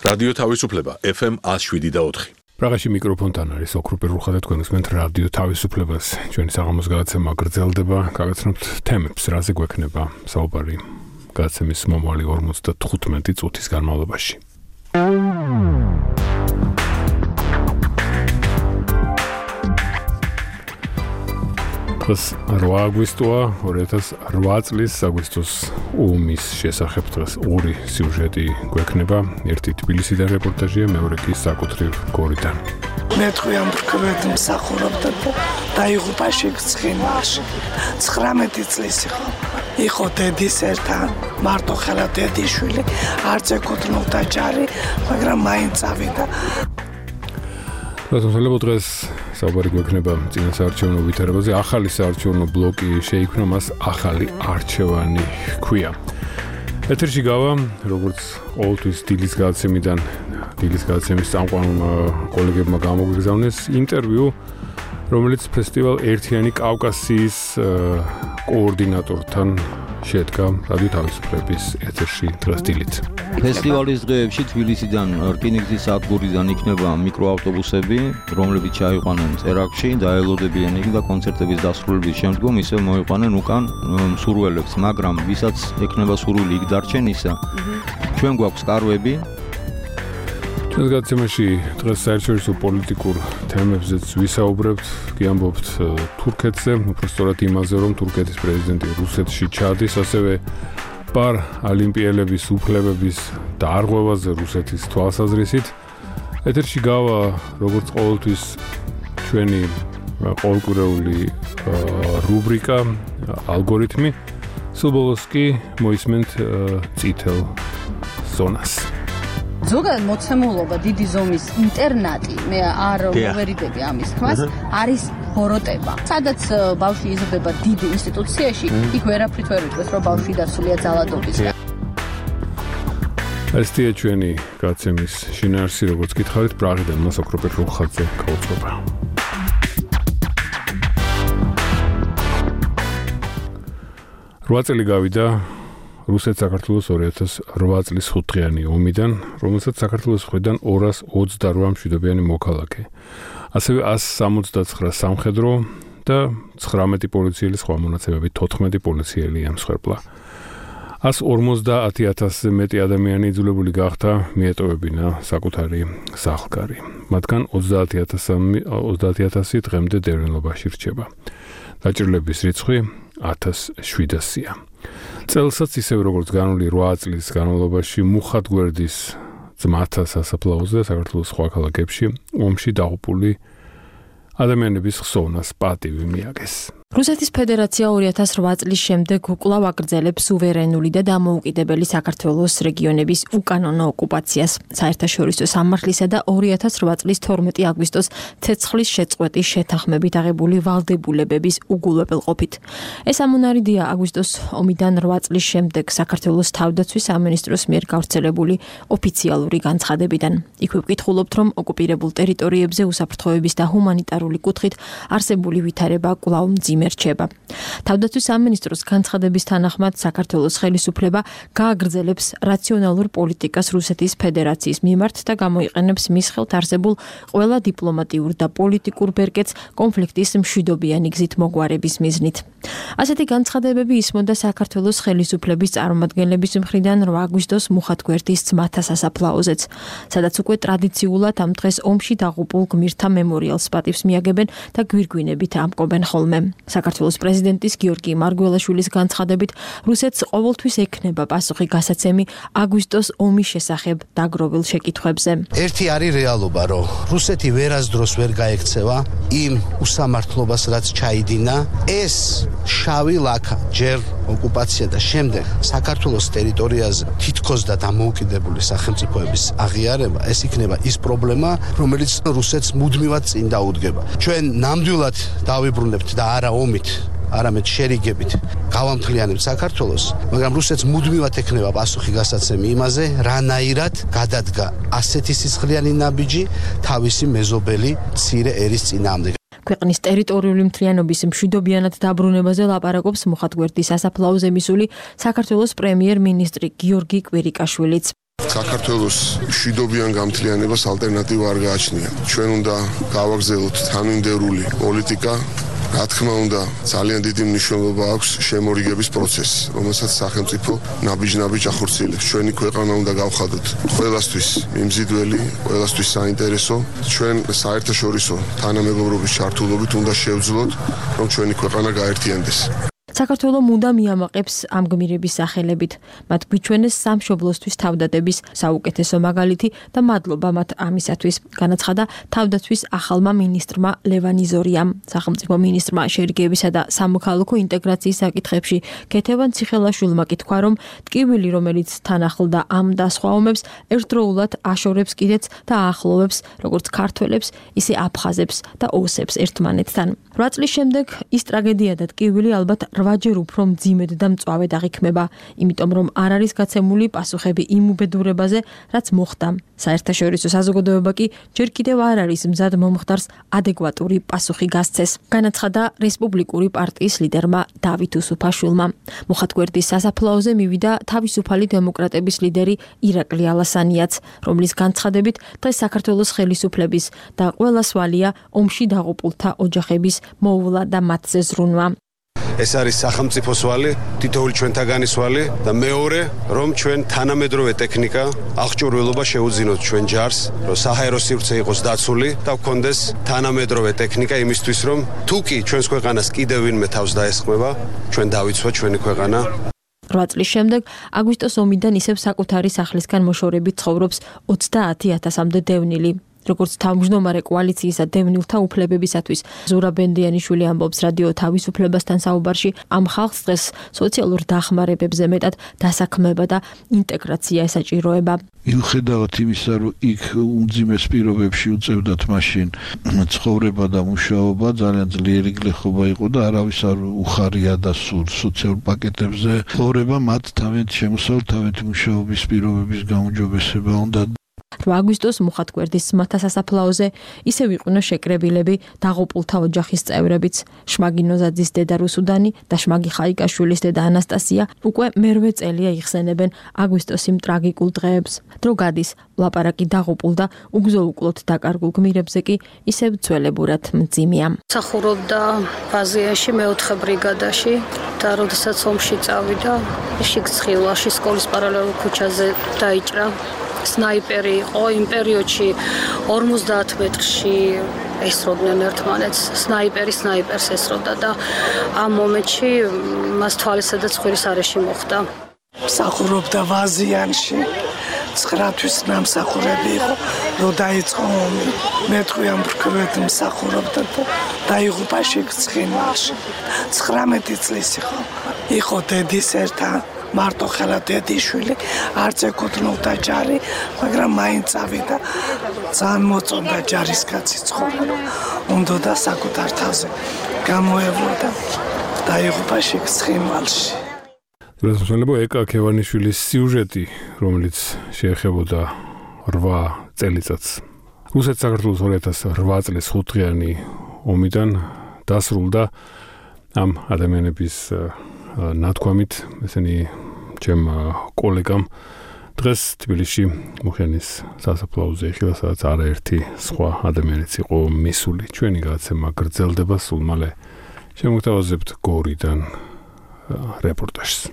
რადიო თავისუფლება FM 107.4. პრაღაში მიკროფონთან არის ოქროპე რუხა და თქვენ უსმენთ რადიო თავისუფლებას. ჩვენი საღამოს გადაცემა გრძელდება, გავაცნობთ თემებს, რაზე გვექნება საუბარი გადაცემის მომავალი 55 წუთის განმავლობაში. 8 აგვისტოა 2008 წლის აგვისტოს ომის შესახებ დღეს ორი სიუჟეტი გვექნება. ერთი თბილისიდან რეპორტაჟია, მეორე კი საკუთრივ გორიდან. მე თქვენ მრქვედ მსახურობდა და დაიღუპა შეგცხინაში. 19 წლის იყო დედის ერთან, მარტო ხელა დედიშვილი, არც ეკუთვნოდა ჯარი, მაგრამ მაინც წავიდა. რადგან დღეს საუბარი გვექნება წინა საარჩევნო ვითარებაზე, ახალი საარჩევნო ბლოკი შეიქმნა, მას ახალი არჩევანი ჰქვია. ეთერში გავა, როგორც ყოველთვის დილის გადაცემის წამყვან კოლეგებმა გამოგვიგზავნეს ინტერვიუ, რომელიც ფესტივალ ერთიანი კავკასიის კოორდინატორთან შედგა რადიო თავისუფლების ეთერში დღეს დილით. ფესტივალის დღეებში თბილისიდან რკინიგზის სადგურიდან იქნება მიკროავტობუსები, რომლებიც ჩაიყვანენ წერაკში, დაელოდებიან იქ და კონცერტების დასრულების შემდგომ ისევ მოიყვანენ უკან მსურველებს, მაგრამ ვისაც ექნება სურვილი იქ დარჩენისა, ჩვენ გვაქვს კარვები. ჩვენს გადაცემაში დღეს საერთაშორისო პოლიტიკურ თემებზეც ვისაუბრებთ, გიამბობთ თურქეთზე, უბრალოდ იმაზე, რომ თურქეთის პრეზიდენტი რუსეთში ჩადის, ასევე პარალიმპიელების უფლებების დარღვევაზე რუსეთის თვალსაზრისით. ეთერში გავა, როგორც ყოველთვის, ჩვენი ყოველკვირეული რუბრიკა ალგორითმი. სულ კი მოისმენთ წითელ ზონას. ზოგადად მოცემულობა დიდი ზომის ინტერნატი, მე არ მოვერიდები ამის თქმას, არის ბოროტება. სადაც ბავშვი იზრდება დიდ ინსტიტუციაში, იქ ვერაფრით ვერ ვიტყვეს, რომ ბავშვი დაცულია ძალადობისგან. ესეა ჩვენი გადაცემის შინაარსი, როგორც გითხარით, პრაღიდან მას ოქროპე რუხაძე გაუწყობა. რვა წელი გავიდა რუსეთ-საქართველოს 2008 წლის 5 დღიანი ომიდან, რომელსაც საქართველოს მხრიდან 228 მშვიდობიანი მოქალაქე, ასევე 169 სამხედრო და 19 პოლიციელი, სხვა მონაცემებით 14 პოლიციელი ემსხვერპლა. 150,000-ზე მეტი ადამიანი იძულებული გახდა მიეტოვებინა საკუთარი სახლ-კარი. მათგან 30,000 დღემდე დევნილობაში რჩება. დაჭრილების რიცხვი 1700-ია. წელსაც ისევ როგორც განული 8 წლის განმავლობაში მუხად გვერდის ძმათა სასაფლაოზე საქართველოს სხვა ქალაქებში ომში დაღუპული ადამიანების ხსოვნას პატივი მიაგეს. რუსეთის ფედერაცია 2008 წლის შემდეგ უკვლავ აგრძელებს სუვერენული და დამოუკიდებელი საქართველოს რეგიონების უკანონო ოკუპაციას. საერთაშორისო სამართლისა და 2008 წლის 12 აგვისტოს ცეცხლის შეწყვეტის შეთანხმებით აღებული ვალდებულებების უგულებელყოფით. ეს ამონარიდია აგვისტოს ომიდან 8 წლის შემდეგ საქართველოს თავდაცვის სამინისტროს მიერ გავრცელებული ოფიციალური განცხადებიდან. იქ ვკითხულობთ, რომ ოკუპირებულ ტერიტორიებზე უსაფრთხოების და ჰუმანიტარული კუთხით არსებული ვითარება კვლავ მერჩება. თავდაცვის სამინისტროს განცხადების თანახმად საქართველოს ხელისუფლება გააგრძელებს რაციონალურ პოლიტიკას რუსეთის ფედერაციის მიმართ და გამოიყენებს მის ხელთ არსებულ ყველა დიპლომატიურ და პოლიტიკურ ბერკეტს კონფლიქტის მშვიდობიანი გზით მოგვარების მიზნით. ასეთი განცხადებები ისმოდა საქართველოს ხელისუფლების წარმომადგენლების მხრიდან 8 აგვისტოს მუხათგვერდის ძმათა სასაფლაოზეც, სადაც უკვე ტრადიციულად ამ დღეს ომში დაღუპულ გმირთა მემორიალს პატივს მიაგებენ და გვირგვინებით ამკობენ ხოლმე. საქართველოს პრეზიდენტის გიორგი მარგველაშვილის განცხადებით, რუსეთს ყოველთვის ექნება პასუხი გასაცემი აგვისტოს ომის შესახებ დაგროვილ შეკითხვებზე. ერთი არის რეალობა, რომ რუსეთი ვერასდროს ვერ გაექცევა იმ უსამართლობას, რაც ჩაიდინა. ეს შავი ლაქა ჯერ ოკუპაცია და შემდეგ საქართველოს ტერიტორიაზე თითქოს და დამოუკიდებელი სახელმწიფოების აღიარება, ეს იქნება ის პრობლემა, რომელიც რუსეთს მუდმივად წინ დაუდგება. ჩვენ ნამდვილად დავიბრუნებთ და არა ომით, არამედ შერიგებით გავამთლიანებთ საქართველოს, მაგრამ რუსეთს მუდმივად ექნება პასუხი გასაცემი იმაზე, რანაირად გადადგა ასეთი სისხლიანი ნაბიჯი თავისი მეზობელი მცირე ერის წინააღმდეგ. ქვეყნის ტერიტორიული მთლიანობის მშვიდობიანად დაბრუნებაზე ლაპარაკობს მუხათგვერდის სასაფლაოზე მისული საქართველოს პრემიერ-მინისტრი გიორგი კვირიკაშვილიც. საქართველოს მშვიდობიან გამთლიანებას ალტერნატივა არ გააჩნია. ჩვენ უნდა გავაგზავნოთ თანმიმდევრული პოლიტიკა. რა თქმა უნდა, ძალიან დიდი მნიშვნელობა აქვს შემორიგების პროცესს, რომელსაც სახელმწიფო ნაბიჯ-ნაბიჯ ახორციელებს. ჩვენი ქვეყანა უნდა გავხადოთ ყველასთვის მიმზიდველი, ყველასთვის საინტერესო. ჩვენ საერთაშორისო თანამეგობრობის ჩართულობით უნდა შევძლოთ, რომ ჩვენი ქვეყანა გაერთიანდეს. საქართველო მუდამ მიამაყებს ამ გმირების სახელებით. მათ გვიჩვენეს სამშობლოსთვის თავდადების საუკეთესო მაგალითი და მადლობა მათ ამისათვის, განაცხადა თავდაცვის ახალმა მინისტრმა ლევან იზორიამ. სახელმწიფო მინისტრმა შერიგებისა და სამოქალაქო ინტეგრაციის საკითხებში ქეთევან ციხელაშვილმა კი თქვა, რომ ტკივილი, რომელიც თან ახლდა ამ და სხვა ომებს, ერთდროულად აშორებს კიდეც და აახლოვებს როგორც ქართველებს, ისე აფხაზებს და ოსებს ერთმანეთთან. 8 წლის შემდეგ ის ტრაგედია და ტკივილი ალბათ 8-ჯერ უფრო მძიმედ და მწვავედ აღიქმება, იმიტომ რომ არ არის გაცემული პასუხები იმ უბედურებაზე, რაც მოხდა. საერთაშორისო საზოგადოება კი ჯერ კიდევ არ არის მზად მომხდარს ადეკვატური პასუხი გასცეს, განაცხადა რესპუბლიკური პარტიის ლიდერმა დავით უსუფაშვილმა. მოხატგვერდის სასაფლაოზე მივიდა თავისუფალი დემოკრატების ლიდერი ირაკლი ალასანიაც, რომლის განცხადებით დღეს საქართველოს ხელისუფლების და ყველა სვალია ომში დაღუპულთა ოჯახების მოუვლა და მათზე ზრუნვა. ეს არის სახელმწიფოს ვალი, თითოეული ჩვენთაგანი ვალი და მეორე, რომ ჩვენ თანამედროვე ტექნიკა, აღჭურვილობა შეუძინოთ ჩვენ ჯარს, რომ საჰაერო სივრცე იყოს დაცული და გქონდეს თანამედროვე ტექნიკა იმისთვის, რომ თუ კი ჩვენს ქვეყანას კიდევ ვინმე თავს დაესხმება, ჩვენ დავიცვათ ჩვენი ქვეყანა. 8 წლის შემდეგ აგვისტოს ომიდან ისევ საკუთარი სახლისგან მოშორებით ცხოვრობს 30,000-მდე დევნილი. როგორც თავმჯდომარე კოალიციისა დევნილთა უფლებებისათვის ზურა ბენდიანიშვილი ამბობს რადიო თავისუფლებასთან საუბარში, ამ ხალხს დღეს სოციალურ დახმარებებზე მეტად დასაქმება და ინტეგრაცია ესაჭიროება. მიუხედავად იმისა, რომ იქ უმძიმეს პირობებში უწევდათ მაშინ ცხოვრება და მუშაობა, ძალიან ძლიერი გლეხობა იყო და არავის არ უხარია და სულ სოციალურ პაკეტებზე ცხოვრება მათ თავიანთი შემოსავლით, თავიანთი მუშაობის პირობების გაუმჯობესება უნდა. 8 აგვისტოს მოხატგვერდის ძმათა სასაფლაოზე ისევ იყვნენ შეკრებილები დაღუპულთა ოჯახის წევრებიც. შმაგი ნოზაძის დედა რუსუდანი და შმაგი ხაიკაშვილის დედა ანასტასია უკვე მერვე წელია იხსენებენ აგვისტოს იმ ტრაგიკულ დღეებს. დრო გადის, ლაპარაკი დაღუპულ და უგზო-უკლოდ დაკარგულ გმირებზე კი ისევ ძველებურად მძიმეა. მსახურობდა ბაზიაში მეოთხე ბრიგადაში და როდესაც ომში წავიდა, შიგცხილაში სკოლის პარალელურ ქუჩაზე დაიჭრა. სნაიპერი იყო იმ პერიოდში 50 მეტრში ესროდნენ ერთმანეთს, სნაიპერს ესროდა და ამ მომენტში მას თვალისა და ცხვირის არეში მოხდა. მსახურობდა ვაზიანში, 9 თვის ნამსახურები იყო, რომ დაიწყო ომი. მე თქვი ამ ბრკვედ მსახურობდა და დაიღუპა შიგცხილაში. 19 წლის იყო დედის ერთად. მარტო ხელა დედიშვილი არც ეკუთვნოდა ჯარი, მაგრამ მაინც წავიდა. ძალიან მოწონდა ჯარისკაცი ცხოვრება. უნდოდა საკუთარ თავზე გამოევლოდა და იღუპა შიგცხილში. რასმსალებო ეკა ქევანიშვილის სიუჟეტი, რომელიც შეეხებოდა 8 წელიწადს. რუსეთ-საქართველოს 2008 წლის 5 დღიანი ომიდან დასრულდა ამ ადამიანების ნათქვამით, ესენი ჩემ კოლეგამ დღეს თბილისში მუხიანის სასაფლაოზე იხილა, სადაც არაერთი სხვა ადამიანიც იყო მისული. ჩვენი გადაცემა გრძელდება, სულ მალე შემოგთავაზებთ გორიდან რეპორტაჟს.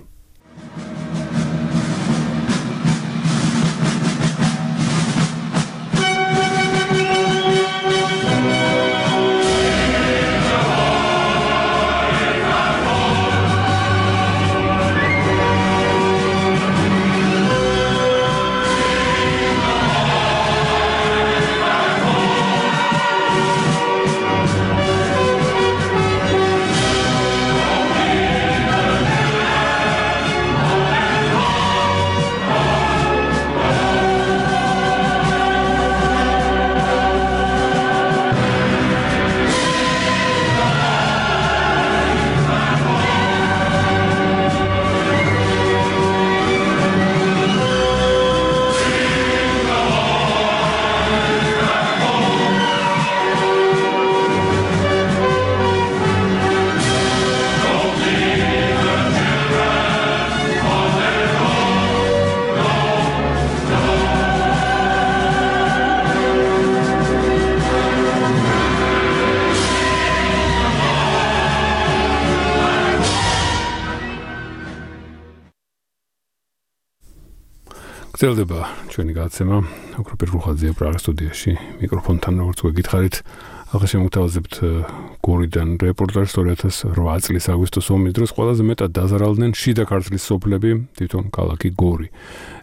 გრძელდება ჩვენი გადაცემა ოქროპირ რუხაძეა პრაღის სტუდიაში მიკროფონთან როგორც გითხარით ახლა შემოგთავაზებთ გორიდან რეპორტაჟს 2008 წლის აგვისტოს ომის დროს ყველაზე მეტად დაზარალდნენ შიდა ქართლის სოფლები თვითონ ქალაქი გორი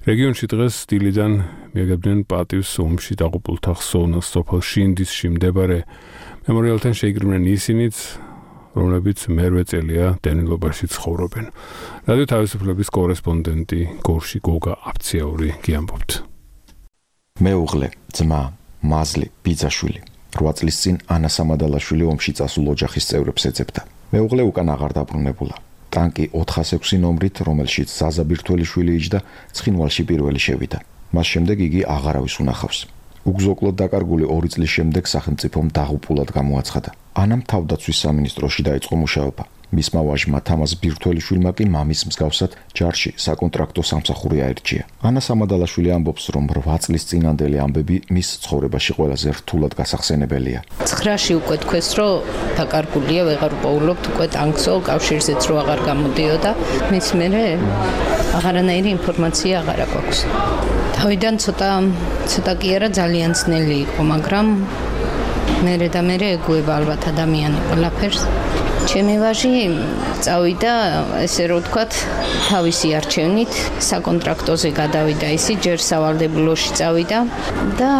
რეგიონში დღეს დილიდან მიაგებდნენ პატივს ომში დაღუპულთა ხსოვნას სოფელ შინდისში მდებარე მემორიალთან შეიკრიბნენ ისინიც რომლებიც მერვე წელია დევნილობაში ცხოვრობენ. რადიო თავისუფლების კორესპონდენტი გორში გოგა აფციაური გიამბობთ. მეუღლე, ძმა, მაზლი, ბიძაშვილი. 8 წლის წინ ანა სამადალაშვილი ომში წასულ ოჯახის წევრებს ეძებდა. მეუღლე უკან აღარ დაბრუნებულა. ტანკი 406 ნომრით, რომელშიც ზაზა ბირთველიშვილი იჯდა, ცხინვალში პირველი შევიდა. მას შემდეგ იგი აღარავის უნახავს. უგზოკლოდ დაკარგული 2 წლის შემდეგ სახელმწიფომ დაღუპულად გამოაცხადა. ანამ თავდაცვის სამინისტროში დაიწყო მუშაობა. მისმა ვაჟმა თამაზ ბირთველიშვილმა კი მამის მსგავსად ჯარში საკონტრაქტო სამსახური აირჩია. ანა სამადალაშვილი ამბობს, რომ 8 წლის წინანდელი ამბები მის ცხოვრებაში ყველაზე რთულად გასახსენებელია. 9-ში უკვე თქვეს, რომ დაკარგულია, ვეღარ უპოულობთ უკვე ტანკსო, კავშირზეც რო აღარ გამოდიოდა. მის მერე აღარანაირი ინფორმაცია აღარ აქვს. თავიდან ცოტა კი არა ძალიან ძნელი იყო, მაგრამ მერე და მერე ეგუება ალბათ ადამიანი ყველაფერს. ჩემი ვაჟი წავიდა, ესე რომ ვთქვათ, თავისი არჩევნით საკონტრაქტოზე გადავიდა ისი, ჯერ სავალდებულოში წავიდა და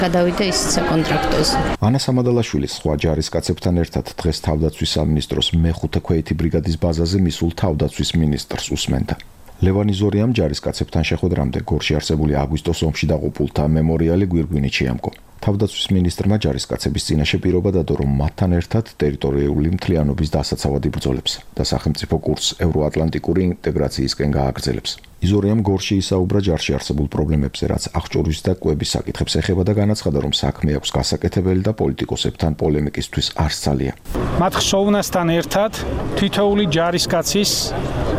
გადავიდა ის საკონტრაქტოზე. ანა სამადალაშვილის სხვა ჯარისკაცებთან ერთად დღეს თავდაცვის სამინისტროს მე-5 ქვეითი ბრიგადის ბაზაზე მისულ თავდაცვის მინისტრს უსმენდა. ლევანი ზორიამ ჯარისკაცებთან შეხვედრამდე გორში არსებული აგვისტოს ომში დაღუპულთა მემორიალი გვირგვინით შეამკო. თავდაცვის მინისტრმა ჯარისკაცების წინაშე პირობა დადო, რომ მათთან ერთად ტერიტორიული მთლიანობის დასაცავად იბრძოლებს და სახელმწიფო კურსს ევროატლანტიკური ინტეგრაციისკენ გააგრძელებს. იზორიამ გორში ისაუბრა ჯარში არსებულ პრობლემებზე, რაც აღჭურვის და კვების საკითხებს ეხება და განაცხადა, რომ საქმე აქვს გასაკეთებელი და პოლიტიკოსებთან პოლემიკისთვის არ სცალია. მათ ხსოვნასთან ერთად თითოეული ჯარისკაცის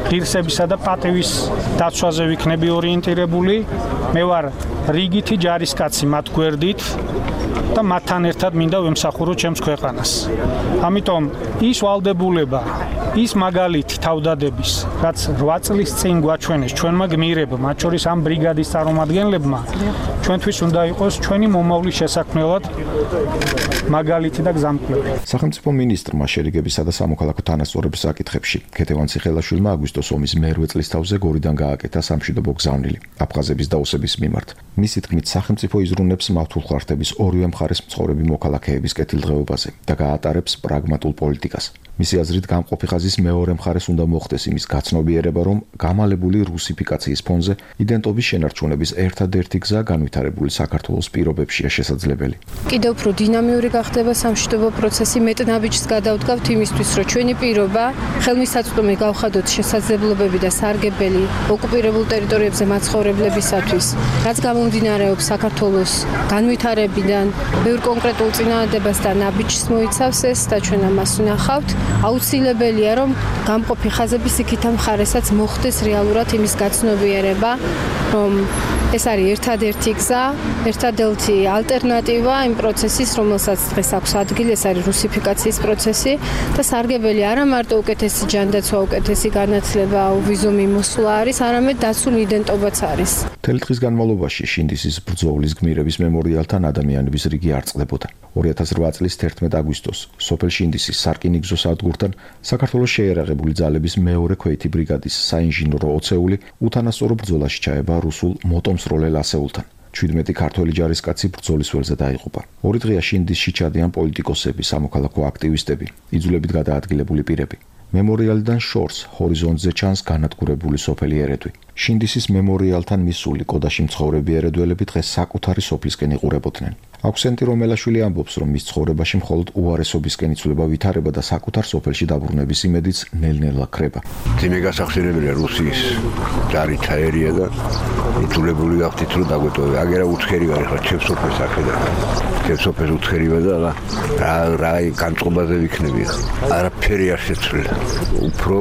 ღირსებისა და პატივის დაცვაზე ვიქნები ორიენტირებული. მე ვარ რიგითი ჯარისკაცი მათ გვერდით და მათთან ერთად მინდა ვემსახურო ჩემს ქვეყანას. ამიტომ ის ვალდებულება, ის მაგალითი თავდადების, რაც 8 წლის წინ გვაჩვენეს ჩვენმა გმირებმა, მათ შორის ამ ბრიგადის წარმომადგენლებმა, ჩვენთვის უნდა იყოს ჩვენი მომავლის შესაქმნელად მაგალითი და გზამკვლევი. სახელმწიფო მინისტრმა შერიგებისა და სამოქალაქო თანასწორობის საკითხებში ქეთევან ციხელაშვილმა აგვისტოს ომის მე-8 წლის თავზე გორიდან გააკეთა სამშვიდობო გზავნილი აფხაზების დაუსების მიმართ. მისი თქმით, სახელმწიფო იზრუნებს მართულ ხარხტების ორივე მხარეს მცხოვრები მოქალაქეების კეთილდღეობაზე და გაატარებს პრაგმატულ პოლიტიკას. მისი აზრით, გამყოფი ხაზის მეორე მხარეს უნდა მოხდეს იმის გაცნობიერება, რომ გამალებული რუსიფიკაციის ფონზე იდენტობის შენარჩუნების ერთადერთი გზა განვითარებული საქართველოს პირობებშია შესაძლებელი. კიდევ უფრო დინამიური გახდება სამშვიდობო პროცესი, მეტნაბიჯს გადავდგავთ იმისთვის, რომ ჩვენი პირობა ხელმისაწვდომი გავხადოთ შესაძლებლობები და სარგებელი ოკუპირებულ ტერიტორიებზე მაცხოვრებლებისათვის, რაც გამომდინარეობს საქართველოს განვითარებიდან, ბევრ კონკრეტულ წინააღმდეგობას და ნაბიჯს მოიცავს ეს და ჩვენ ამას ვნახავთ. აუცილებელია, რომ გამყოფი ხაზების იქითა მხარესაც მოხდეს რეალურად იმის გაცნობიერება, რომ ეს არის ერთადერთი გზა, ერთადერთი ალტერნატივა იმ პროცესის, რომელსაც დღეს აქვს ადგილი, ეს არის რუსიფიკაციის პროცესი და სარგებელი არა მარტო უკეთესი ჯანდაცვა, უკეთესი განათლება, ვიზუმი მოსვლა არის, არამედ დაცული იდენტობაც არის. მთელი დღის განმავლობაში შინდისის ბრძოლის გმირების მემორიალთან ადამიანების რიგი არ წყდებოდა. 2008 წლის 11 აგვისტოს სოფელ შინდისის სარკინიგზო სადგურთან საქართველოს შეიარაღებული ძალების მეორე ქვეითი ბრიგადის საინჟინრო ოცეული უთანასწორო ბრძოლაში ჩაება რუსულ მოტომსროლელ ასეულთან. 17 ქართველი ჯარისკაცი ბრძოლის ველზე დაიღუპა. 2 დღეა შინდისში ჩადიან პოლიტიკოსები, სამოქალაქო აქტივისტები, იძულებით გადაადგილებული პირები. მემორიალიდან შორს ჰორიზონტზე ჩანს განადგურებული სოფელი ერედვი. შინდისის მემორიალთან მისული კოდაში მცხოვრები ერედველები დღეს საკუთარი სოფლისკენ იყურებოდნენ. აქვსენტი რომელაშვილი ამბობს, რომ მის ცხოვრებაში მხოლოდ უარესობისკენ იცვლება ვითარება და საკუთარ სოფელში დაბრუნების იმედიც ნელ-ნელა ქრება. ძიმე გასახსენებელია რუსიის ჯარი ჩაერია და იძულებული ვახდით რომ დაგვეტოვე. აგერა უცხერი ვარ ხა ჩემს სოფელს ახედა. ჩემს სოფელს უცხერი ვარ და რა განწყობაზე ვიქნები ხა. არაფერი არ შეცვლილა. უფრო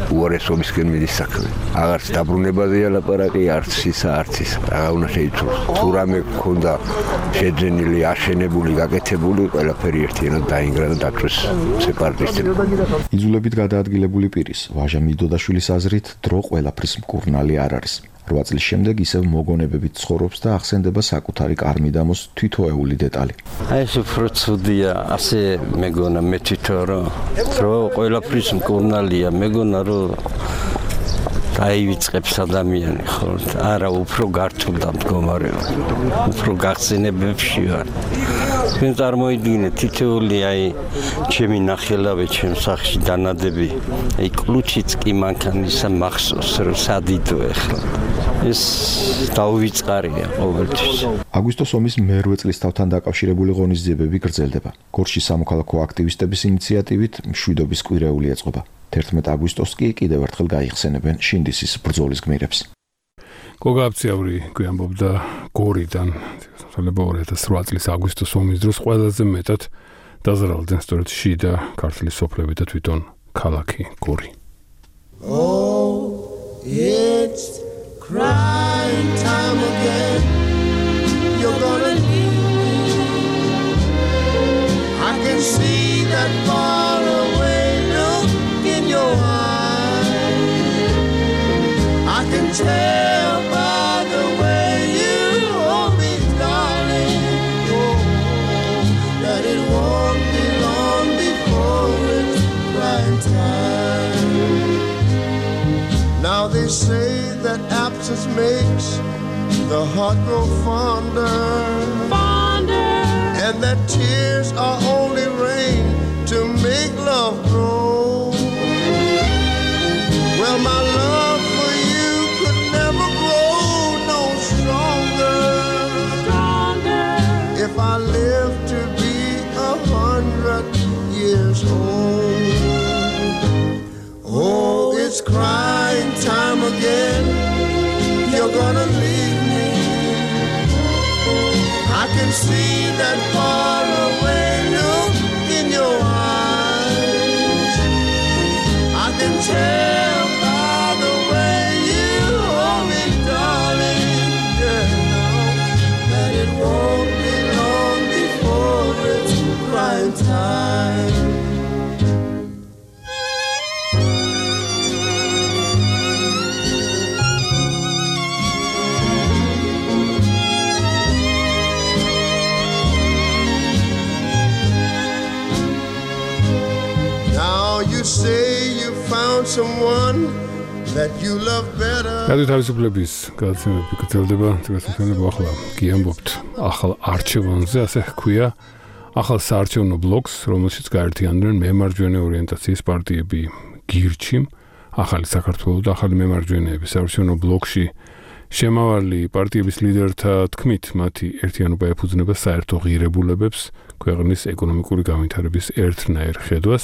უარესობისკენ მიდის საქმე. აღარც დაბრუნებაზეა ლაპარაკი, არც ისა, არც ის. რა უნდა შეიცვალოს. თუ რამე გქონდა შეძენილი, აშენებული, გაკეთებული, ყველაფერი ერთიანად დაინგრა და დაწვეს სეპარატისტებმა. იძულებით გადაადგილებული პირის ვაჟა მიდოდაშვილის აზრით, დრო ყველაფრის მკურნალი არ არის. 8 წლის შემდეგ ისევ მოგონებებით ცხოვრობს და ახსენდება საკუთარი კარმიდამოს თითოეული დეტალი. აი ეს უფრო ცუდია, ასე მეგონა მე თვითონ რომ ყველაფრის მკურნალია, მეგონა რომ დაივიწყებს ადამიანი ხო? არა, უფრო გართულდა მდგომარეობა. უფრო გახსენებებში ვარ. თქვენ წარმოიდგინეთ, თითოეული აი ჩემი ნახელავე ჩემ სახში დანადები, აი კლუჩიც კი მანქან ისა მახსოვს რომ სადიდო ახლა. ეს დაუვიწყარია ყოველთვის. აგვისტოს ომის მერვე წლისთავთან დაკავშირებული ღონისძიებები გრძელდება. გორში სამოქალაქო აქტივისტების ინიციატივით მშვიდობის კვირეული ეწყობა. 11 აგვისტოს კი კიდევ ერთხელ გაიხსენებენ შინდისის ბრძოლის გმირებს. გოგა აფციაური გვიამბობდა გორიდან, თვალება 2008 წლის აგვისტოს ომის დროს ყველაზე მეტად დაზარალდნენ სწორედ შიდა ქართლის სოფლები და თვითონ ქალაქი გორი. Oh, it's crying time again. You're gonna leave me. I can see that far away look in your eyes. I can tell by the way you hold me, darling, oh, that it won't be long before it's crying time. Now they say that absence makes the heart grow fonder, and that tears are only rain to make love grow. Well, my love for you could never grow no stronger, if I live to be 100 years old. Oh, it's crying time again. You're gonna leave me. I can see that far away look in your eyes. I can tell by the way you hold me, darling, yeah, that it won't be long before it's crying time. You say you found someone that you love better. რადიო თავისუფლების გადაცემები გრძელდება, თვითონ ახლა გიამბობთ ახალ არჩევანზე, ასე ჰქვია, ახალ საარჩევნო ბლოკს, რომელშიც გაერთიანდნენ მემარჯვენე ორიენტაციის პარტიები გირჩი, ახალი საქართველო და ახალი მემარჯვენეები. საარჩევნო ბლოკში შემავალი პარტიების ლიდერთა თქმით, მათი ერთიანობა ეფუძნება საერთო ღირებულებებს, ქვეყნის ეკონომიკური განვითარების ერთნაირ ხედვას,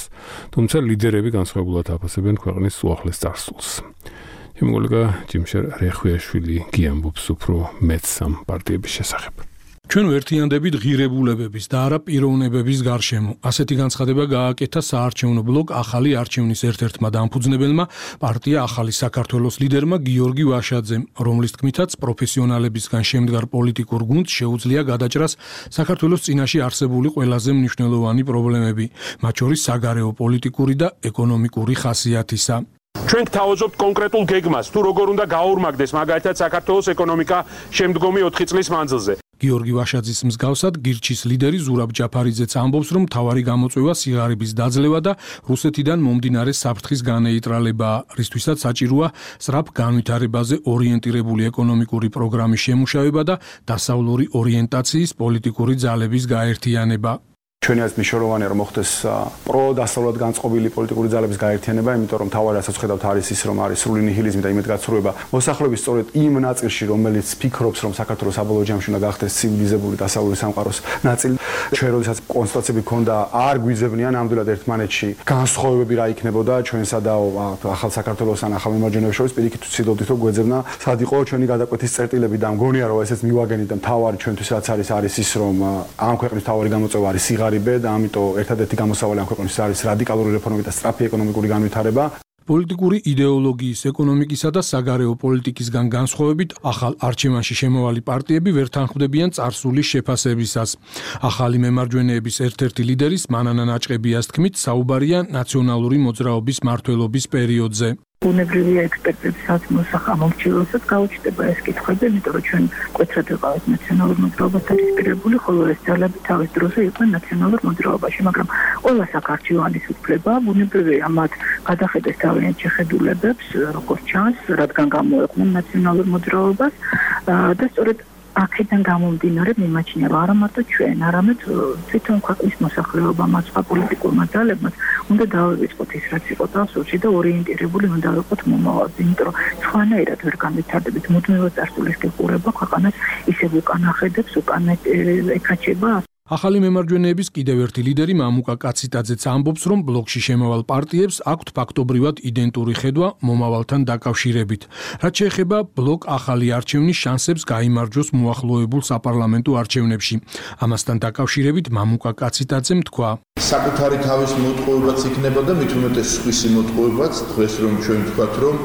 თუმცა ლიდერები განსხვავებულად აფასებენ ქვეყნის უახლეს წარსულს. ჩემი კოლეგა ჯიმშერ რეხვიაშვილი გიამბობს უფრო მეტს ამ პარტიების შესახებ. ჩვენ ვერთიანდებით ღირებულებების და არა პიროვნებების გარშემო. ასეთი განცხადება გააკეთა საარჩევნო ბლოკ ახალი არჩევნის ერთ-ერთმა დამფუძნებელმა პარტია ახალი საქართველოს ლიდერმა გიორგი ვაშაძემ, რომლის თქმითაც პროფესიონალებისგან შემდგარ პოლიტიკურ გუნდს შეუძლია გადაჭრას საქართველოს წინაშე არსებული ყველაზე მნიშვნელოვანი პრობლემები, მათ შორის საგარეო პოლიტიკური და ეკონომიკური ხასიათისა. ჩვენ გთავაზობთ კონკრეტულ გეგმას, თუ როგორ უნდა გაორმაგდეს მაგალითად საქართველოს ეკონომიკა შემდგომი 4 წლის მანძილზე. გიორგი ვაშაძის მსგავსად გირჩის ლიდერი ზურაბ ჯაფარიძეც ამბობს, რომ მთავარი გამოწვევა სიღარიბის დაძლევა და რუსეთიდან მომდინარე საფრთხის განეიტრალებაა, რისთვისაც საჭიროა სწრაფ განვითარებაზე ორიენტირებული ეკონომიკური პროგრამის შემუშავება და დასავლური ორიენტაციის პოლიტიკური ძალების გაერთიანება. ჩვენი აზრით მნიშვნელოვანია რომ მოხდეს პროდასავლურად განწყობილი პოლიტიკური ძალების გაერთიანება, იმიტომ რომ თავად რასაც ხედავთ არის ის რომ არის სრული ნიჰილიზმი და იმედგაცრუება მოსახლეობის სწორედ იმ ნაწილში, რომელიც ფიქრობს რომ საქართველოს საბოლოო ჯამში უნდა გახდეს ცივილიზებული დასავლური სამყაროს ნაწილი. ჩვენ როდესაც კონსტიტუციები ქონდა არ გვიძებნიან ნამდვილად ერთმანეთში განსხვავებები რა იქნებოდა ჩვენსა და ახალ საქართველოს ან ახალ მემარჯვენეებს შორის, პირიქით ვცდილობდით რომ გვეძებნა სად იყო ჩვენი გადაკვეთის წერტილები და მგონია რომ ესეც მივაგენით და მთავარი ჩვენთვის რაც არის ის რომ ამ ქვეყნის მთავარი გამოწვევა არის და ამიტომ ერთადერთი გამოსავალი ამ ქვეყნის არის რადიკალური რეფორმები და სწრაფი ეკონომიკური განვითარება. პოლიტიკური იდეოლოგიის, ეკონომიკისა და საგარეო პოლიტიკისგან განსხვავებით, ახალ არჩევანში შემავალი პარტიები ვერ თანხმდებიან წარსულის შეფასებისას. ახალი მემარჯვენეების ერთ-ერთი ლიდერის მანანა ნაჭყებიას თქმით, საუბარია ნაციონალური მოძრაობის მმართველობის პერიოდზე. ბუნებრივია ექსპერტების მოსახამომრჩეველსაც გაუჩნდება ეს კითხვები, იმიტომ რომ ჩვენ მკვეთრად ვიყავით ნაციონალურ მოძრაობასთან დისპირებული, ხოლო ეს ძალები თავის დროზე იყვნენ ნაციონალურ მოძრაობაში, მაგრამ ყველა საქართველოს უფლება ბუნებრივია მათ გადახედეს თავიანთ შეხედულებებს, როგორც ჩანს, რადგან გამოეყვნენ ნაციონალურ მოძრაობას და სწორედ აქედან გამომდინარე მიმაჩნია არა მარტო ჩვენ, არამედ თვითონ ქვეყნის მოსახლეობამ, სხვა პოლიტიკურმა ძალებმა უნდა დავივიწყოთ ის რაც იყო დასუსი და ორიენტირებული უნდა ვიყოთ მომავალზე, იმიტომ რომ სხვანაირად ვერ განვითარდებით, მუდმივად წარსულის გიყურება ქვეყანას ისევ უკან ახედებს, უკან ეკაჩება. ახალი მემარჯვენეების კიდევ ერთი ლიდერი მამუკა კაციტაძეც ამბობს, რომ ბლოკში შემავალ პარტიებს აქვთ ფაქტობრივად იდენტური ხედვა მომავალთან დაკავშირებით. რაც შეეხება ბლოკ ახალი არჩევნის შანსებს გაიმარჯვოს მოახლოებულ საპარლამენტო არჩევნებში. ამასთან დაკავშირებით მამუკა კაციტაძემ თქვა: საკუთარი თავის მოტყუებაც იქნება და მით უმეტეს სხვისი მოტყუებაც, დღეს რომ ჩვენ ვთქვათ, რომ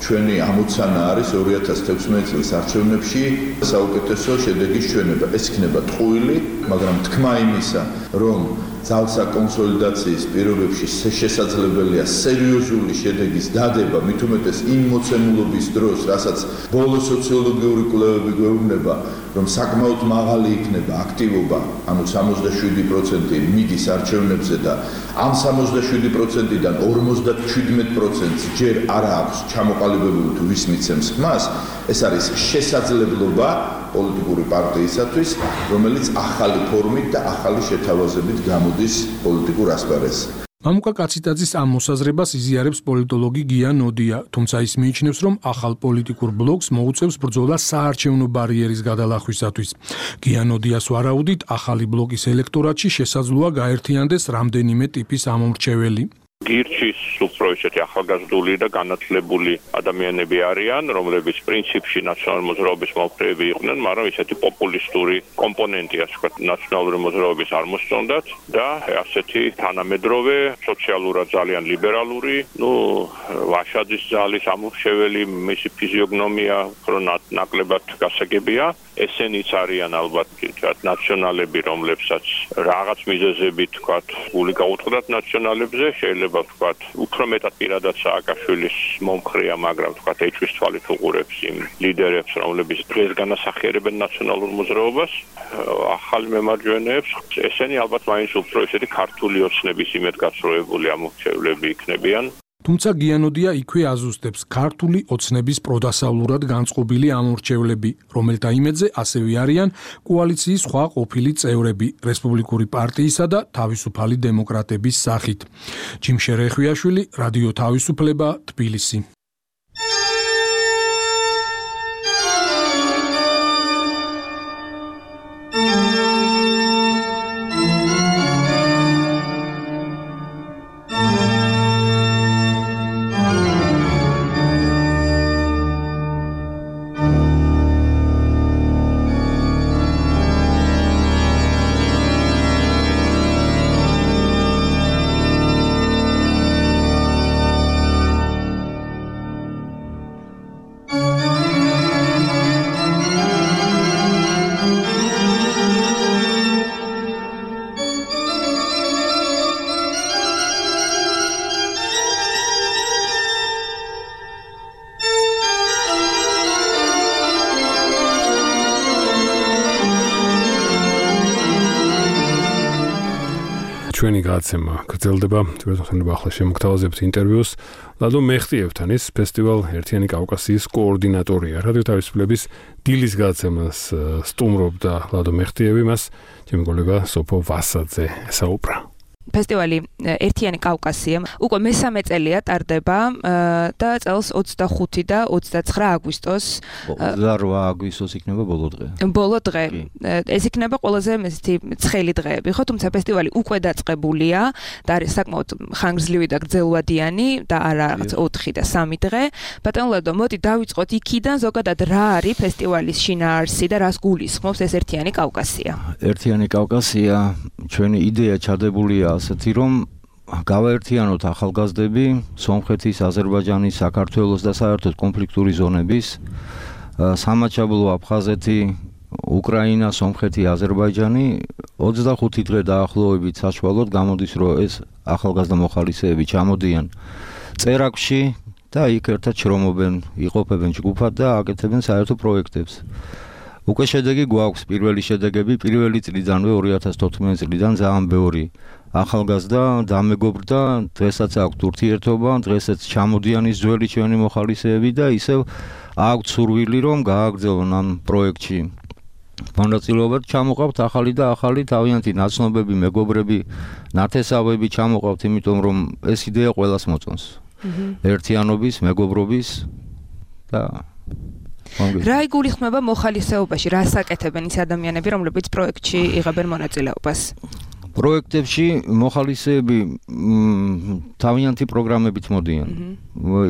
ჩვენი ამოცანა არის 2016 წლის არჩევნებში საუკეთესო შედეგის ჩვენება. ეს იქნება ტყუილი, მაგრამ თქმა იმისა, რომ ძალსა კონსოლიდაციის პირობებში შესაძლებელია სერიოზული შედეგის დადება, მით უმეტეს იმ მოცემულობის დროს, რასაც ბოლო სოციოლოგიური კვლევები გვეუბნება, რომ საკმაოდ მაღალი იქნება აქტივობა, ანუ 67% მიდის არჩევნებზე და ამ 67%-დან 57%-ს ჯერ არ აქვს ჩამოყალიბებული თუ ვის მიცემს ხმას, ეს არის შესაძლებლობა პოლიტიკური პარტიისათვის, რომელიც ახალი ფორმით და ახალი შეთავაზებით გამოდის პოლიტიკურ ასპარეზზე. მამუკა კაციტაძის ამ მოსაზრებას იზიარებს პოლიტოლოგი გია ნოდია, თუმცა ის მიიჩნევს, რომ ახალ პოლიტიკურ ბლოკს მოუწევს ბრძოლა საარჩევნო ბარიერის გადალახვისათვის. გია ნოდიას ვარაუდით, ახალი ბლოკის ელექტორატში შესაძლოა გაერთიანდეს რამდენიმე ტიპის ამომრჩეველი. გირჩის უფრო ისეთი ახალგაზრდული და განათლებული ადამიანები არიან, რომლებიც პრინციპში ნაციონალური მოძრაობის მომხრეები იყვნენ, მაგრამ ისეთი პოპულისტური კომპონენტი, ასე ვთქვათ, ნაციონალური მოძრაობის არ მოსწონდათ და ასეთი თანამედროვე, სოციალურად ძალიან ლიბერალური, ვაშაძის ძალის ამომრჩეველი, მისი ფიზიოგნომია უფრო ნაკლებად გასაგებია. ესენიც არიან ალბათ ნაციონალები, რომლებსაც რაღაც მიზეზებით, ვთქვათ, გული გაუწყდათ ნაციონალებზე, შეიძლება ვთქვათ, უფრო მეტად პირადად სააკაშვილის მომხრეა, მაგრამ ვთქვათ, ეჭვის თვალით უყურებს იმ ლიდერებს, რომლებიც დღეს განასახიერებენ ნაციონალურ მოძრაობას, ახალ მემარჯვენეებს, ესენი ალბათ მაინც უფრო ისეთი ქართული ოცნების იმედგაცრუებული ამომრჩევლები იქნებიან. თუმცა გიანოდია იქვე აზუსტებს ქართული ოცნების პროდასავლურად განწყობილი ამორჩევლები, რომელთა იმედზე ასევე არიან კოალიციის სხვა ყოფილი წევრები რესპუბლიკური პარტიისა და თავისუფალი დემოკრატების სახით. ჯიმშე რეხვიაშვილი, რადიო თავისუფლება, თბილისი. ჩვენი გადაცემა გრძელდება, თვითონ ახლა შემოგთავაზებთ ინტერვიუს ლადო მეხტიევთან, ის ფესტივალ ერთიანი კავკასიის კოორდინატორია. რადიო თავისუფლების დილის გადაცემას სტუმრობდა ლადო მეხტიევი, მას ჩემი კოლეგა სოფო ვასაძე ესაუბრა. ფესტივალი ერთიანი კავკასია უკვე მესამე წელია ტარდება და წელს 25 და 29 აგვისტოს 28 აგვისტოს იქნება ბოლო დღე. ბოლო დღე. ეს იქნება ყველაზე მესეთი ცხელი დღეები, ხო, თუმცა ფესტივალი უკვე დაწყებულია და არის საკმაოდ ხანგრძლივი და გრძელვადიანი და არა რაღაც 4 და 3 დღე. ბატონო ლადო, მოდი დავიწყოთ იქიდან, ზოგადად რა არის ფესტივალის შინაარსი და რას გულისხმობს ეს ერთიანი კავკასია? ერთიანი კავკასია ჩვენი იდეა ჩადებულია ასეთი, რომ გავაერთიანოთ ახალგაზრდები სომხეთის, აზერბაიჯანის, საქართველოს და საერთოდ კონფლიქტური ზონების, სამაჩაბლო, აფხაზეთი, უკრაინა, სომხეთი, აზერბაიჯანი 25 დღე დაახლოებით საშუალოდ გამოდის, რომ ეს ახალგაზრდა მოხალისეები ჩამოდიან წერაკში, და იქ ერთად შრომობენ, იყოფებენ ჯგუფად და აკეთებენ საერთო პროექტებს. უკვე შედეგი გვაქვს, პირველი შედეგები პირველი წლიდანვე 2014 წლიდან ძალიან ბევრი ახალგაზრდა დამეგობრდა, დღესაც აქვს ურთიერთობა, დღესაც ჩამოდიან ის ძველი ჩვენი მოხალისეები და ისევ აქვს სურვილი რომ გააგრძელონ ამ პროექტში. მონაწილეობად ჩამოყავთ ახალი და ახალი თავიანთი ნაცნობები, მეგობრები, ნათესავები ჩამოყავთ, იმიტომ რომ ეს იდეა ყველას მოწონს. ერთიანობის, მეგობრობის და რა იგულისხმება მოხალისეობაში, რას აკეთებენ ის ადამიანები, რომლებიც პროექტში იღებენ მონაწილეობას? პროექტებში მოხალისეები თავიანთი პროგრამებით მოდიან.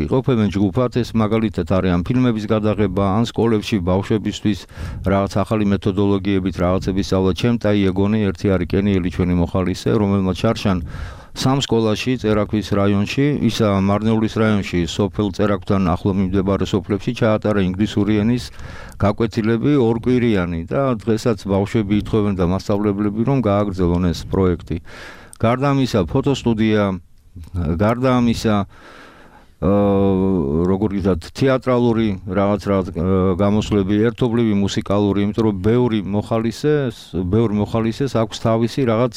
იყოფებენ ჯგუფად, ეს მაგალითად არის ამ ფილმების გადაღება, ან სკოლებში ბავშვებისთვის რაღაც ახალი მეთოდოლოგიებით რაღაცების სწავლა. ჩემ დაიეგონი ერთი არის კენიელი ჩვენი მოხალისე, რომელმაც შარშან სამ სკოლაში წერაქვის რაიონში, ისა მარნეულის რაიონში, სოფელ წერაქვთან ახლო მიმდებარე სოფლებში ჩაატარა ინგლისური ენის გაკვეთილები ორკვირიანი და დღესაც ბავშვები ითხოვენ და მასწავლებლები რომ გააგრძელონ ეს პროექტი. გარდა ამისა, ფოტოსტუდია, გარდა ამისა როგორ ვთქვათ, თეატრალური რაღაც გამოსვლები, ერთობლივი მუსიკალური, იმიტომ რომ ბევრი მოხალისეს აქვს თავისი რაღაც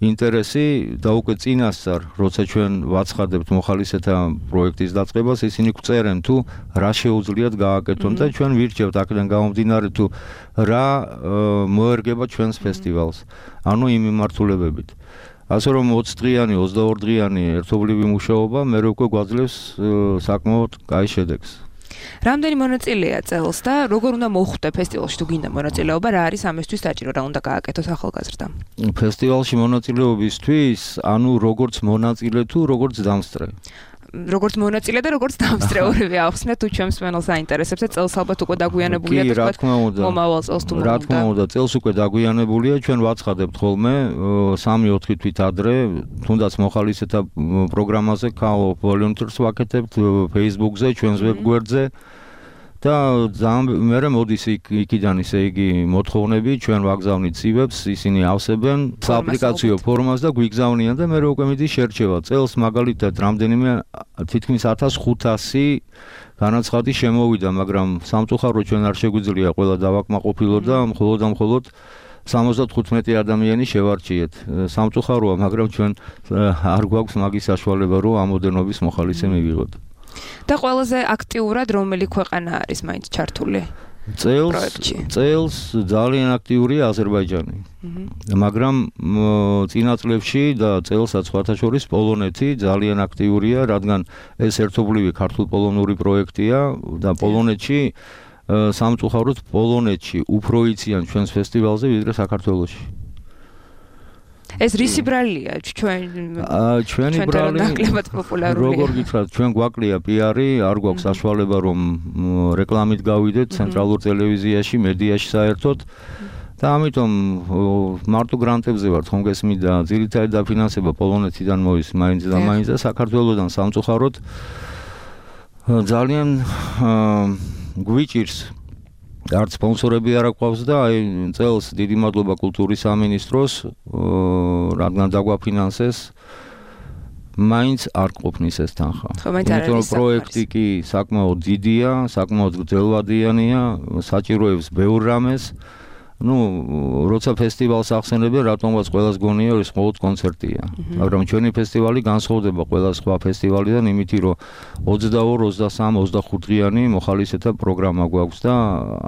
ინტერესი და უკვე წინასწარ, როცა ჩვენ ვაცხადებთ მოხალისეთა პროექტის დაწყებას, ისინი გვწერენ თუ რა შეუძლიათ გააკეთონ და ჩვენ ვირჩევთ აქედან გამომდინარე თუ რა მოერგება ჩვენს ფესტივალს. ანუ იმ მიმართულებებით. ასე რომ 20 დღიანი, 22 დღიანი ერთობლივი მუშაობა მე უკვე გვაძლევს საკმაოდ კაი შედეგს. რამდენი მონაწილეა წელს და როგორ უნდა მოხვდე ფესტივალში თუ გინდა მონაწილეობა, რა არის ამისთვის საჭირო, რა უნდა გააკეთოს ახალგაზრდამ? ფესტივალში მონაწილეობისთვის, ანუ როგორც მონაწილე თუ როგორც დამსწრე. როგორც მონაწილე და როგორც დამსწრე ორივე ახსნე თუ ჩემს მენელს აინტერესებს და წელს ალბათ უკვე დაგვიანებულია და თქვა მომავალ წელს თუ რა თქმა უნდა წელს უკვე დაგვიანებულია ჩვენ ვაცხადებთ ხოლმე 3-4 თვით ადრე თუნდაც მოხალისეთა პროგრამაზე volunteers ვაკეთებთ Facebook-ზე ჩვენს ვებგვერდზე და მე მოდის იქიდან ისე იგი მოთხოვნები ჩვენ ვაგზავნით ცივებს ისინი ავსებენ აპლიკაციო ფორმას და გვიგზავნიან და მე უკვე მიდის შერჩევა წელს მაგალითად რამდენიმე თითქმის 1500 განაცხადი შემოვიდა მაგრამ სამწუხაროდ ჩვენ არ შეგვიძლია ყველა დავაკმაყოფილოთ და მხოლოდ 75 ადამიანი შევარჩიეთ სამწუხაროა მაგრამ ჩვენ არ გვაქვს მაგის საშუალება რომ ამოდენობის მოხალისე მივიღოთ და ყველაზე აქტიურად რომელი ქვეყანა არის მაინც ჩართული წელს ძალიან აქტიურია აზერბაიჯანი მაგრამ წინა წლებში და წელსაც სხვათა შორის პოლონეთი ძალიან აქტიურია რადგან ეს ერთობლივი ქართულ-პოლონური პროექტია და პოლონეთში სამწუხაროდ პოლონეთში უფრო იციან ჩვენს ფესტივალზე ვიდრე საქართველოში ეს რისი ბრალია ჩვენი ბრალი ნაკლებად პოპულარულია როგორ გითხრათ ჩვენ გვაკლია პიარი არ გვაქვს საშუალება რომ რეკლამით გავიდეთ ცენტრალურ ტელევიზიაში მედიაში საერთოდ და ამიტომ მარტო გრანტებზე ვართ ხომ გესმით და ძირითადად დაფინანსება პოლონეთიდან მოის მაინც და მაინც და საქართველოსდან სამწუხაროდ ძალიან გვიჭირს არც სპონსორები არ აქვს და აი წელს დიდი მადლობა კულტურის სამინისტროს რადგან დაგვაფინანსეს მაინც არ ყოფნის ეს თანხა. იმიტომ რომ პროექტი კი საკმაოდ დიდია, საკმაოდ გრძელვადიანია, საჭიროებს ბევრ რამეს. როცა ფესტივალს ახსენებენ, რატომაც ყველას გონია ეს მხოლოდ კონცერტია. მაგრამ ჩვენი ფესტივალი განსხვავდება ყველა სხვა ფესტივალიდან იმითი, რომ 22, 23, 25 დღიანი მოხალისეთა პროგრამა გვაქვს და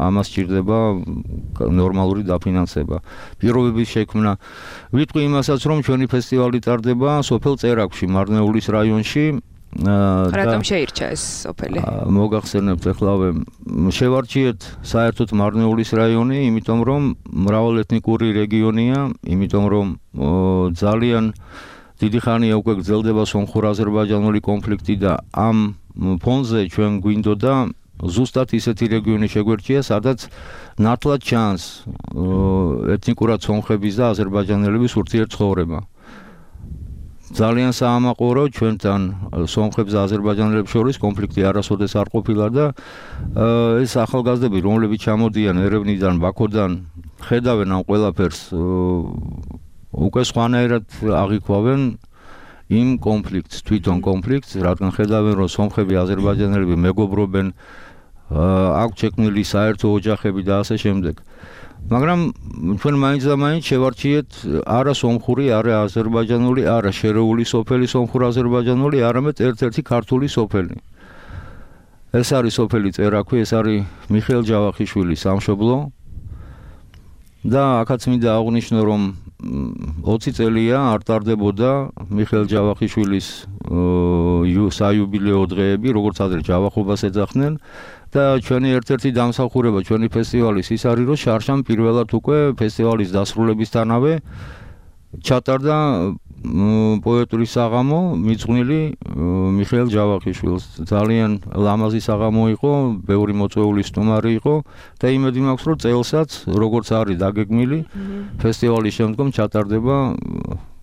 ამას სჭირდება ნორმალური დაფინანსება. პირობების შექმნა. ვიტყვი იმასაც, რომ ჩვენი ფესტივალი ტარდება სოფელ წერაქვში, მარნეულის რაიონში. რატომ შეირჩა ეს სოფელი? მოგახსენებთ ახლავე შევარჩიეთ საერთოდ მარნეულის რაიონი, იმიტომ რომ მრავალეთნიკური რეგიონია, იმიტომ რომ ძალიან დიდი ხანია უკვე გრძელდება სომხურ-აზერბაიჯანული კონფლიქტი და ამ ფონზე ჩვენ გვინდოდა ზუსტად ისეთი რეგიონი შეგვერჩია, სადაც ნათლად ჩანს ეთნიკურად სომხების და აზერბაიჯანელების ურთიერთცხოვრება. ძალიან საამაყორო ჩვენთან სომხებს და აზერბაიჯანელებს შორის კონფლიქტი არასოდეს არ ყოფილა და ეს ახალგაზრდები რომლებიც ჩამოდიან ერევნიდან, ბაქოდან, ხედავენ ამ ყველაფერს უკვე სხვანაირად აღიქვავენ იმ კონფლიქტს, თვითონ კონფლიქტს, რადგან ხედავენ, რომ სომხები, აზერბაიჯანელები მეგობრობენ, აქვს შექმნილი საერთო ოჯახები და ასე შემდეგ. მაგრამ ჩვენ მაინც და მაინც შევარჩიეთ არა სომხური, არა აზერბაიჯანული, არა შერეული სოფელი სომხურ-აზერბაიჯანული, არამედ ერთ-ერთი ქართული სოფელი. ეს არის სოფელი წერაქვი, ეს არის მიხეილ ჯავახიშვილის სამშობლო. და აქაც მინდა აღვნიშნო, რომ 20 წელია არ ტარდებოდა მიხეილ ჯავახიშვილის საიუბილეო დღეები, როგორც ადრე ჯავახობას ეძახდნენ. და ჩვენი ერთ-ერთი დამსახურება ჩვენი ფესტივალის ის არის, რომ შარშან პირველად უკვე ფესტივალის დასრულებისთანავე ჩატარდა პოეტური საღამო მიძღვნილი მიხეილ ჯავახიშვილს. ძალიან ლამაზი საღამო იყო, ბევრი მოწვეული სტუმარი იყო და იმედი მაქვს, რომ წელსაც როგორც არის დაგეგმილი, ფესტივალის შემდგომ ჩატარდება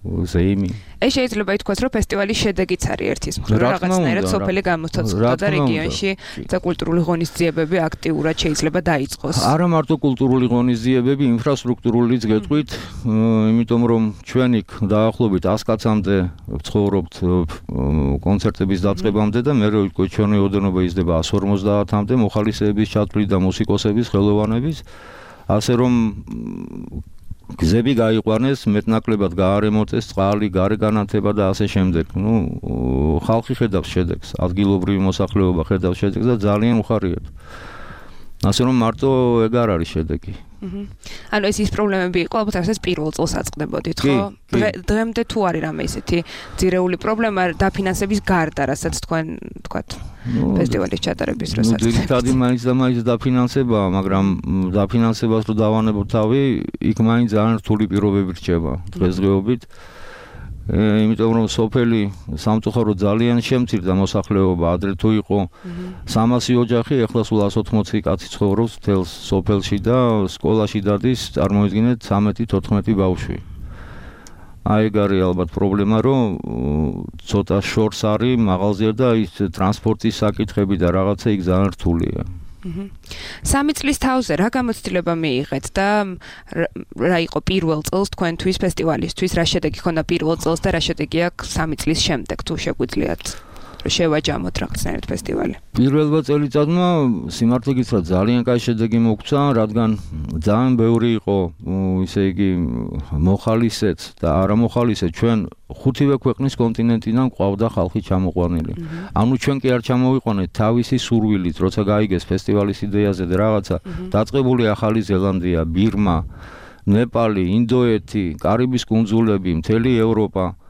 ზეიმი. ეს შეიძლება ითქვას, რომ ფესტივალის შედეგიც არის ერთის მხრივ, რაღაცნაირად სოფელი გამოცოცხლდა და რეგიონში კულტურული ღონისძიებები აქტიურად შეიძლება დაიწყოს. არა მარტო კულტურული ღონისძიებები, ინფრასტრუქტურულიც გეტყვით, იმიტომ რომ ჩვენ იქ დაახლოებით 100 კაცამდე ვცხოვრობთ კონცერტების დაწყებამდე და მერე უკვე ჩვენი ოდენობა იზრდება 150-მდე მოხალისეების ჩათვლით და მუსიკოსების ხელოვანების, ასე რომ გზები გაიყვანეს, მეტნაკლებად გაარემონტეს, წყალი, გარეგანათება და ასე შემდეგ. ხალხი ხედავს შედეგს, ადგილობრივი მოსახლეობა ხედავს შედეგს და ძალიან უხარიათ. ასე რომ მარტო ეგ არ არის შედეგი. ანუ ეს პრობლემები იყო, ალბათ რასაც პირველ წელს აწყდებოდით, ხო? დღემდე თუ არის რამე ისეთი ძირეული პრობლემა დაფინანსების გარდა, რასაც თქვენ თქვათ ფესტივალის ჩატარების დროს აწყდებთ. ძირითადი მაინც და მაინც დაფინანსებაა, მაგრამ დაფინანსებას რო დავანებოთ თავი, იქ მაინც ძალიან რთული პირობები რჩება დღესდღეობით. იმიტომ რომ სოფელი სამწუხაროდ ძალიან შემცირდა მოსახლეობა, ადრე თუ იყო 300 ოჯახი, ეხლა სულ 180 კაცი ცხოვრობს მთელ სოფელში და სკოლაში დადის, წარმოიდგინეთ 13-14 ბავშვი. აი ეგ არის ალბათ პრობლემა, რომ ცოტა შორს არის მაღალზე და ის ტრანსპორტის საკითხები და რაღაცა იქ ძალიან რთულია. 3 წლის თავზე რა გამოცდილება მიიღეთ და რა იყო პირველ წელს თქვენთვის ფესტივალისთვის, რა შედეგი ჰქონდა პირველ წელს და რა შედეგი აქვს 3 წლის შემდეგ, თუ შეგვიძლიათ შევაჯამოთ რაღაცნაირად ფესტივალი. პირველ წელიწადმა სიმართლე გითხრათ ძალიან კაი შედეგი მოგვცა, რადგან ძალიან ბევრი იყო, ისე იგი მოხალისეც და არამოხალისე, ჩვენ 5-ვე ქვეყნის კონტინენტიდან ყავდა ხალხი ჩამოყვანილი. ანუ ჩვენ კი არ ჩამოვიყვანეთ თავისი სურვილით, როცა გაიგეს ფესტივალის იდეაზე და რაღაცა, დაწყებული ახალი ზელანდია, ბირმა, ნეპალი, ინდოეთი, კარიბის კუნძულები, მთელი ევროპა,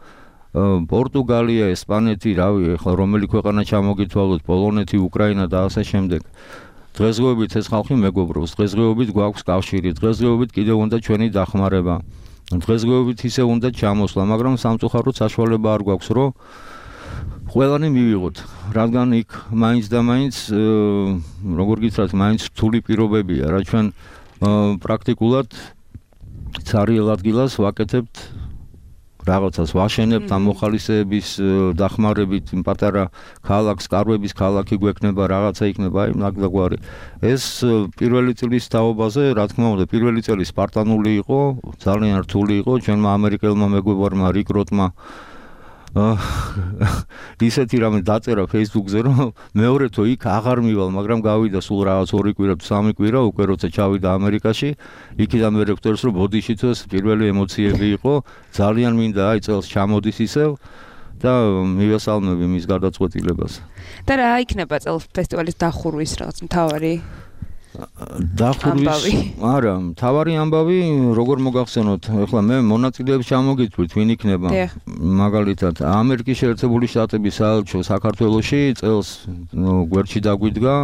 პორტუგალია, ესპანეთი, რავი, ახლა რომელი ქვეყანა ჩამოგითვალოთ, პოლონეთი, უკრაინა და ასე შემდეგ. დღესდღეობით ეს ხალხი მეგობრობს, დღესდღეობით გვაქვს კავშირი, დღესდღეობით კიდევ უნდა ჩვენი დახმარება. დღესდღეობით ისე უნდა ჩამოსვლა, მაგრამ სამწუხაროდ საშუალება არ გვაქვს, რომ ყველანი მივიღოთ, რადგან იქ მაინც და მაინც, როგორ გითხრათ, მაინც რთული პირობებია, რა ჩვენ პრაქტიკულად ცარიელ ადგილას ვაკეთებთ რაღაცას ვაშენებთ ამ მოხალისეების დახმარებით, პატარა ქალაქს, კარვების ქალაქი გვექნება, რაღაცა იქნება, აი ნაგდაგვარი. ეს პირველი წლის თაობაზე, რა თქმა უნდა, პირველი წელი სპარტანული იყო, ძალიან რთული იყო, ჩვენმა ამერიკელმა მეგობრებმა რიკ როტმა ისეთი რამე დაწერა Facebook-ზე, რომ მეორე თო იქ აღარ მივალ, მაგრამ გავიდა სულ რაღაც 2 კვირა თუ 3 კვირა, უკვე როცა ჩავიდა ამერიკაში, იქიდან მე რეკტორს რომ ბოდიში თოს პირველი ემოციები იყო, ძალიან მინდა აი წელს ჩამოდის ისევ და მივესალმები მის გარდაწყვეტილებას. და რა იქნება წელს ფესტივალის დახურვის რაღაც მთავარი დახურვის არა, მთავარი ამბავი, როგორ მოგახსენოთ, ეხლა მე მონაწილეებს ჩამოგითვლით, ვინ იქნება. მაგალითად, ამერიკის შეერთებული შტატების საელჩო საქართველოში წელს გვერდში დაგვიდგა,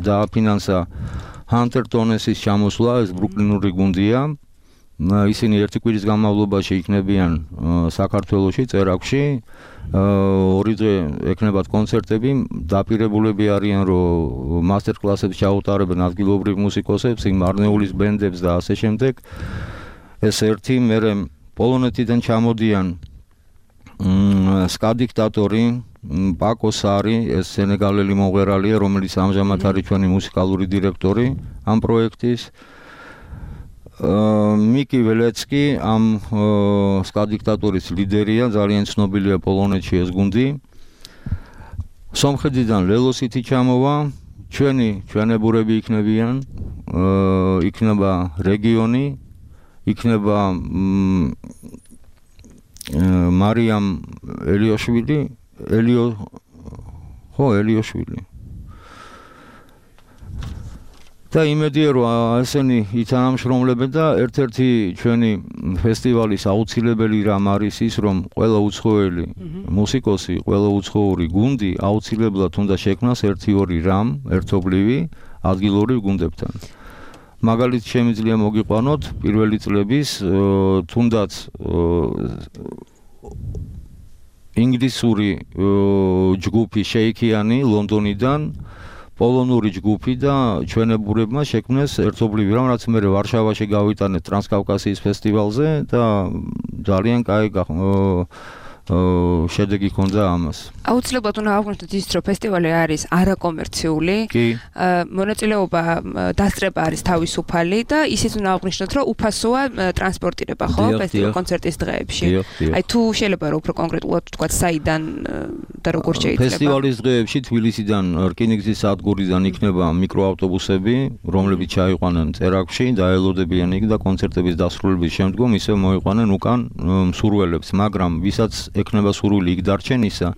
დააფინანსა ჰანტერ ტონესის ჩამოსვლა, ეს ბრუკლინური გუნდია. ისინი ერთი კვირის განმავლობაში იქნებიან საქართველოში, წერაქვში. 2 დღე ექნებათ კონცერტები, დაპირებულები არიან, რომ მასტერ კლასებს ჩაუტარებენ ადგილობრივ მუსიკოსებს, მარნეულის ბენდებს და ასე შემდეგ. ეს ერთი, მერე პოლონეთიდან ჩამოდიან სკა დიქტატორი, პაკო სარი, ეს სენეგალელი მომღერალია, რომელიც ამჟამად არის ჩვენი მუსიკალური დირექტორი ამ პროექტის. მიკი ველეცკი ამ სკა დიქტატურის ლიდერია, ძალიან ცნობილია პოლონეთში ეს გუნდი. სომხეთიდან ლელოსიტი ჩამოვა, ჩვენებურები იქნებიან, იქნება რეგიონი, იქნება მარიამ ელიოშვილი, ელიოშვილი. და იმედია რომ ესენი ითანამშრომლებენ და ერთ-ერთი ჩვენი ფესტივალის აუცილებელი რამ არის ის რომ ყველა უცხოელი მუსიკოსი, ყველა უცხოური გუნდი აუცილებლად უნდა შექმნას 1-2 რამ ერთობლივი ადგილობრივ გუნდებთან. მაგალითად შემიძლია მოგიყვანოთ პირველი წლების თუნდაც ინგლისური ჯგუფი შეიქიანი ლონდონიდან პოლონური ჯგუფი და ჩვენებურებმა შექმნეს ერთობლივი რამ, რაც მე ვარშავაში გავიტანეთ ტრანსკავკასიის ფესტივალზე და ძალიან კაი შედეგი ჰქონდა ამას. აუცილებლად უნდა აღვნიშნოთ ის, რომ ფესტივალი არის არაკომერციული. მონაწილეობა დასწრება არის თავისუფალი და ისიც უნდა აღვნიშნოთ, რომ უფასოა ტრანსპორტირება, ხო, ფესტივალ კონცერტის დღეებში. აი თუ შეიძლება რომ უფრო კონკრეტულად ვთქვათ, საიდან და როგორ შეიძლება. ფესტივალის დღეებში თბილისიდან რკინიგზის სადგურიდან იქნება მიკროავტობუსები, რომლებიც ჩაიყვანენ წერაქვში, დაელოდებიან იქ და კონცერტების დასრულების შემდგომ ისევ მოიყვანენ უკან მსურველებს, მაგრამ ვისაც ეკნება სურვილი იქ დარჩენისა.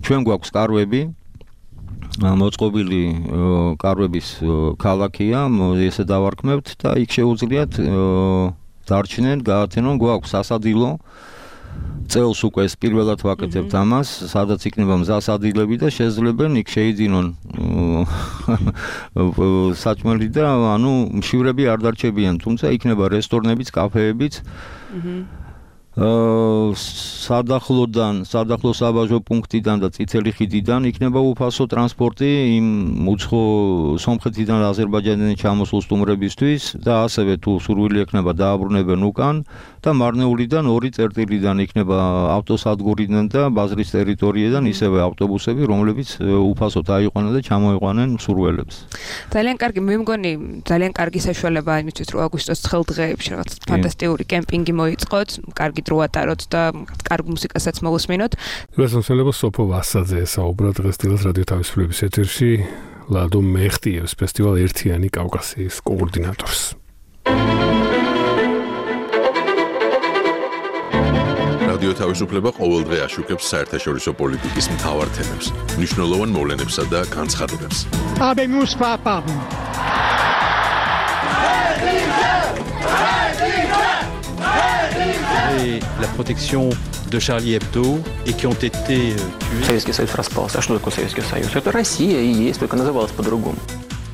ჩვენ გვაქვს კარვები, მოწყობილი კარვების ქალაქია, ესე დავარქმევთ და იქ შეუძლიათ დარჩნენ, გაათენონ, გვაქვს სასადილო. წელს უკვე ეს პირველად ვაკეთებთ ამას, სადაც იქნება მზასადილები და შეძლებენ იქ შეიძინონ საჭმელი და ანუ მშივრები არ დარჩებიან, თუმცა იქნება რესტორნებიც, კაფეებიც. სადახლო საბაჟო პუნქტიდან და წითელი ხიდიდან იქნება უფასო ტრანსპორტი იმ უცხო სომხეთიდან და აზერბაიჯანიდან ჩამოსულ სტუმრებისთვის და ასევე თუ სურვილი ექნება დააბრუნებენ უკან და მარნეულიდან 2 წერტილიდან იქნება ავტოსადგურიდან და ბაზრის ტერიტორიიდან ისევე ავტობუსები, რომლებიც უფასოდ აიყვანენ და ჩამოიყვანენ მსურველებს. ძალიან კარგი, მე მგონი ძალიან კარგი საშუალებაა იმისთვის, რომ აგვისტოს ცხელ დღეებში რაღაც ფანტასტიკური კემპინგი მოიწყოთ, კარგი დრო ატაროთ და კარგ მუსიკასაც მოусმინოთ. გასასწორებო სოფო ვასაძე საუბრა დღესდღეობით რადიო თავისუფლების ეთერში ლადო მეხტიევს ფესტივალ ერთიანი კავკასიის კოორდინატორს. რადიო თავისუფლება ყოველდღე აშუქებს საერთაშორისო პოლიტიკის მთავარ თემებს, მნიშვნელოვან მოვლენებსა და განცხადებებს. La protection de Charlie Hebdo et qui ont été tués. Советский Союз распался. А что такое Советский Союз? Это Россия и есть, только называлась по-другому.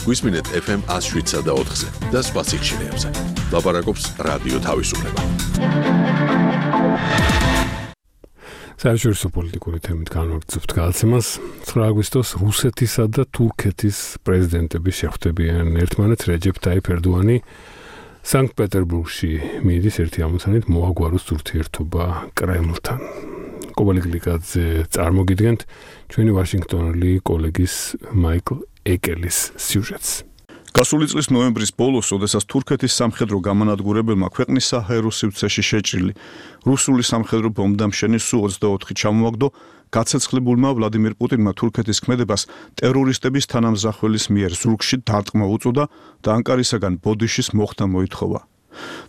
Გვისმინეთ FM 107 და 4-ზე და სხვა სიგნალებზე. ლაპარაკობს რადიო თავისუფლება. საერთაშორისო პოლიტიკური თემით განვაგრძობთ გადაცემას. 9 აგვისტოს რუსეთისა და თურქეთის პრეზიდენტები შეხვდებიან ერთმანეთს. რეჯეფ ტაიფ ერდოანი სანქტ-პეტერბურგში მიდის ერთი ამოცანით მოაგვაროს ურთიერთობა კრემლთან. კობალი გლიკაძე წარმოგიდგენთ ჩვენი ვაშინგტონელი კოლეგის მაიკლ ეკელის სიუჟეტს. გასული წლის ნოემბრის ბოლოს, როდესაც თურქეთის სამხედრო გამანადგურებელმა ქვეყნის საჰაერო სივრცეში შეჭრილი რუსული სამხედრო ბომბდამშენი Su-24 ჩამოაგდო, გაცეცხლებულმა ვლადიმირ პუტინმა თურქეთის ქმედებას ტერორისტების თანამზახველის მიერ ზურგში დარტყმა უწოდა და ანკარისაგან ბოდიშის მოხდა მოითხოვა.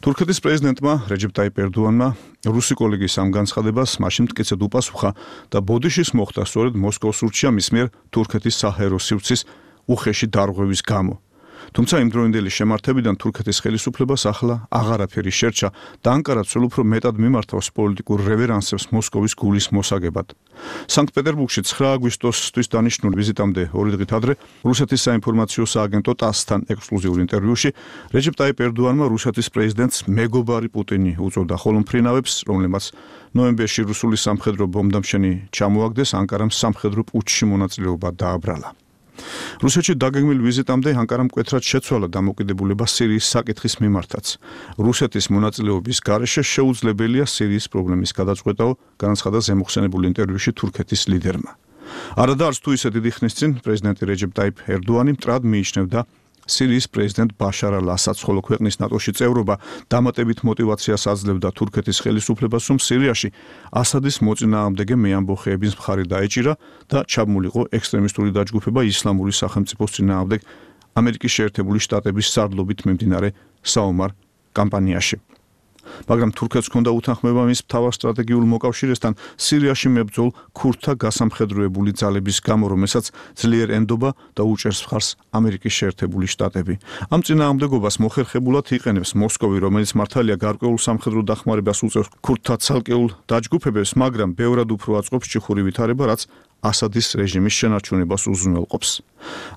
თურქეთის პრეზიდენტმა რეჯეფ ტაიფ ერდოანმა რუსი კოლეგის ამ განცხადებას მაშინ მტკიცედ უპასუხა და ბოდიშის მოხდა სწორედ მოსკოვს ურჩია მის მიერ თურქეთის საჰაერო სივრცის უხეში დარღვევის გამო. თუმცა იმ დროინდელი შემართებიდან თურქეთის ხელისუფლებას ახლა აღარაფერი შერჩა და ანკარა ცელ უფრო მეტად მიმართავს პოლიტიკურ რევერანსებს მოსკოვის გულის მოსაგებად. სანქტ-პეტერბურგში 9 აგვისტოსთვის დანიშნულ ვიზიტამდე 2 დღით ადრე რუსეთის საინფორმაციო სააგენტო TASS-თან ექსკლუზიურ ინტერვიუში რეჯეფ ტაიფ ერდოანმა რუსეთის პრეზიდენტს მეგობარი პუტინი უწოდა, ხოლო მფრინავებს, რომლებმაც ნოემბერში რუსული სამხედრო ბომბდამშენი ჩამოაგდეს, ანკარამ სამხედრო პუტჩში მონაწილეობა დააბრალა. რუსეთში დაგეგმილ ვიზიტამდე ანკარამ მკვეთრად შეცვალა დამოკიდებულება სირიის საკითხის მიმართაც. რუსეთის მონაწილეობის გარეშე შეუძლებელია სირიის პრობლემის გადაწყვეტაო, განაცხადა ზემოხსენებულ ინტერვიუში თურქეთის ლიდერმა. არადა არც თუ ისე დიდი ხნის წინ პრეზიდენტი რეჯეფ ტაიფ ერდოანი მტრად მიიჩნევდა სირიის პრეზიდენტ ბაშარ ალ-ასადს, ხოლო ქვეყნის ნატოში წევრობა დამატებით მოტივაციას აძლევდა თურქეთის ხელისუფლებას, რომ სირიაში ასადის მოწინააღმდეგე მეამბოხეების მხარი დაეჭირა და ჩაბმულიყო ექსტრემისტული დაჯგუფება ისლამური სახელმწიფოს წინააღმდეგ ამერიკის შეერთებული შტატების სარდლობით მიმდინარე საომარ კამპანიაში. მაგრამ თურქეთს ჰქონდა უთანხმოება მის მთავარ სტრატეგიულ მოკავშირესთან სირიაში მებრძოლ ქურდთა გასამხედროებული ძალების გამო, რომელსაც ძლიერ ენდობა და უჭერს მხარს ამერიკის შეერთებული შტატები. ამ წინააღმდეგობას მოხერხებულად იყენებს მოსკოვი, რომელიც მართალია გარკვეულ სამხედრო დახმარებას უწევს ქურდთა ცალკეულ დაჯგუფებებს, მაგრამ ბევრად უფრო აწყობს ჭიხური ვითარება, რაც ასადის რეჟიმის შენარჩუნებას უზრუნველყოფს.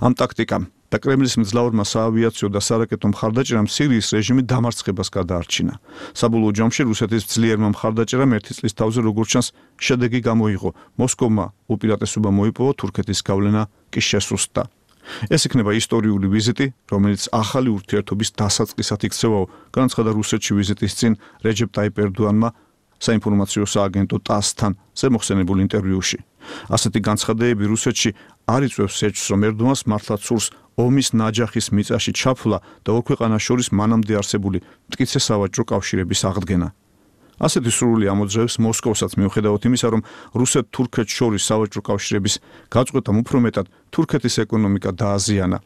ამ ტაქტიკამ და კრემლის მძლავრმა საავიაციო და სარაკეტო მხარდაჭერამ სირიის რეჟიმი დამარცხებას გადაარჩინა. საბოლოო ჯამში რუსეთის ძლიერმა მხარდაჭერამ ერთი წლის თავზე როგორც ჩანს შედეგი გამოიღო. მოსკოვმა უპირატესობა მოიპოვა, თურქეთის გავლენა კი შესუსტდა. ეს იქნება ისტორიული ვიზიტი, რომელიც ახალი ურთიერთობის დასაწყისად იქცევაო, განაცხადა რუსეთში ვიზიტის წინ რეჯეპ ტაიპ ერდოანმა საინფორმაციო სააგენტო TASS-თან ზემოხსენებულ ინტერვიუში. ასეთი განცხადებები რუსეთში არ იწვევს ეჭვს, რომ ერდოანს მართლაც სურს ომის ნაჯახის მიწაში ჩაფლა და ორ ქვეყანას შორის მანამდე არსებული მტკიცე სავაჭრო კავშირების აღდგენა. ასეთი სურვილი ამოძრავებს მოსკოვსაც, მიუხედავად იმისა, რომ რუსეთ-თურქეთს შორის სავაჭრო კავშირების გაწყვეტამ უფრო მეტად თურქეთის ეკონომიკა დააზიანა.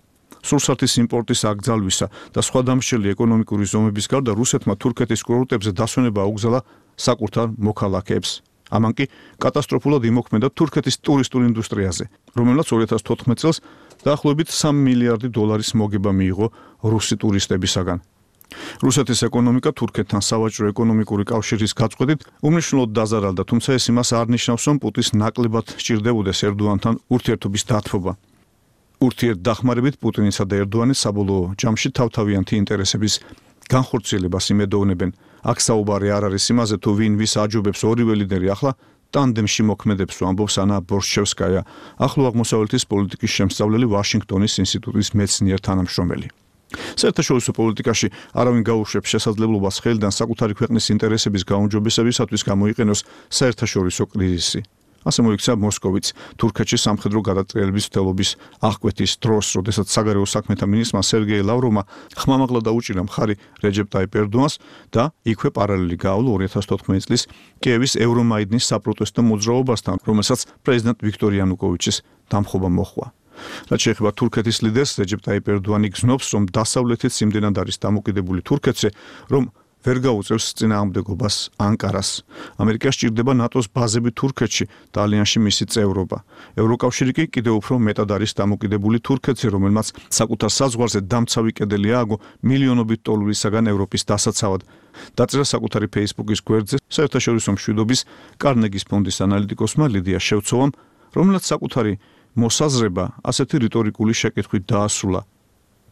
სურსათის იმპორტის აკრძალვისა და სხვა დამსჯელი ეკონომიკური ზომების გარდა რუსეთმა თურქეთის კურორტებზე დასვენება აუგზალა საკუთარ მოქალაქეებს. ამან კი კატასტროფულად იმოქმედა თურქეთის ტურისტულ ინდუსტრიაზე, რომელსაც 2014 წელს დაახლოებით 3 მილიარდი დოლარის მოგება მიიღო რუსი ტურისტებისაგან. რუსეთის ეკონომიკა თურქეთთან სავაჭრო ეკონომიკური კავშირის გაწყვეტით უმნიშვნელოდ დაზარალდა, თუმცა ეს იმას არ ნიშნავს, რომ პუტინს ნაკლებად სჭირდებოდეს ერდოანთან ურთიერთობის დათბობა. ურთიერთდახმარებით პუტინისა და ერდოანის საბოლოო ჯამში თავთავიანთი ინტერესების განხორციელებას იმედოვნებენ. აქ საუბარი არ არის იმაზე, თუ ვინ ვის აჯობებს, ორივე ლიდერი ახლა ტანდემში მოქმედებს, ამბობს ანა ბორშჩევსკაია, ახლო აღმოსავლეთის პოლიტიკის შემსწავლელი ვაშინგტონის ინსტიტუტის მეცნიერ თანამშრომელი. საერთაშორისო პოლიტიკაში არავინ გაუშვებს შესაძლებლობას ხელიდან საკუთარი ქვეყნის ინტერესების გაუმჯობესებისათვის გამოიყენოს საერთაშორისო კრიზისი. ასე მოიქცა მოსკოვიც თურქეთში სამხედრო გადატრიალების მცდელობის აღკვეთის დროს, როდესაც საგარეო საქმეთა მინისტრმა სერგეი ლავროვმა ხმამაღლა დაუჭირა მხარი რეჯეპ ტაიპ ერდოანს და იქვე პარალელი გაავლო 2014 წლის კიევის ევრომაიდნის საპროტესტო მოძრაობასთან, რომელსაც პრეზიდენტ ვიქტორ იანუკოვიჩის დამხობა მოჰყვა. რაც შეეხება თურქეთის ლიდერს, რეჯეპ ტაიპ ერდოანი გზნობს, რომ დასავლეთიც იმდენად არის დამოკიდებული თურქეთზე, რომ ვერ გაუწევს წინააღმდეგობას ანკარას. ამერიკას სჭირდება ნატოს ბაზები თურქეთში და ალიანსში მისი წევრობა. ევროკავშირი კი კიდევ უფრო მეტად არის დამოკიდებული თურქეთზე, რომელმაც საკუთარ საზღვარზე დამცავი კედელი ააგო მილიონობით დოლარისაგან ევროპის დასაცავად. დაწერა საკუთარი Facebook-ის გვერდზე საერთაშორისო მშვიდობის კარნეგის ფონდის ანალიტიკოსმა ლიდია შევცოვამ, რომელსაც საკუთარი მოსაზრება ასეთი რიტორიკული შეკითხვით დაასრულა.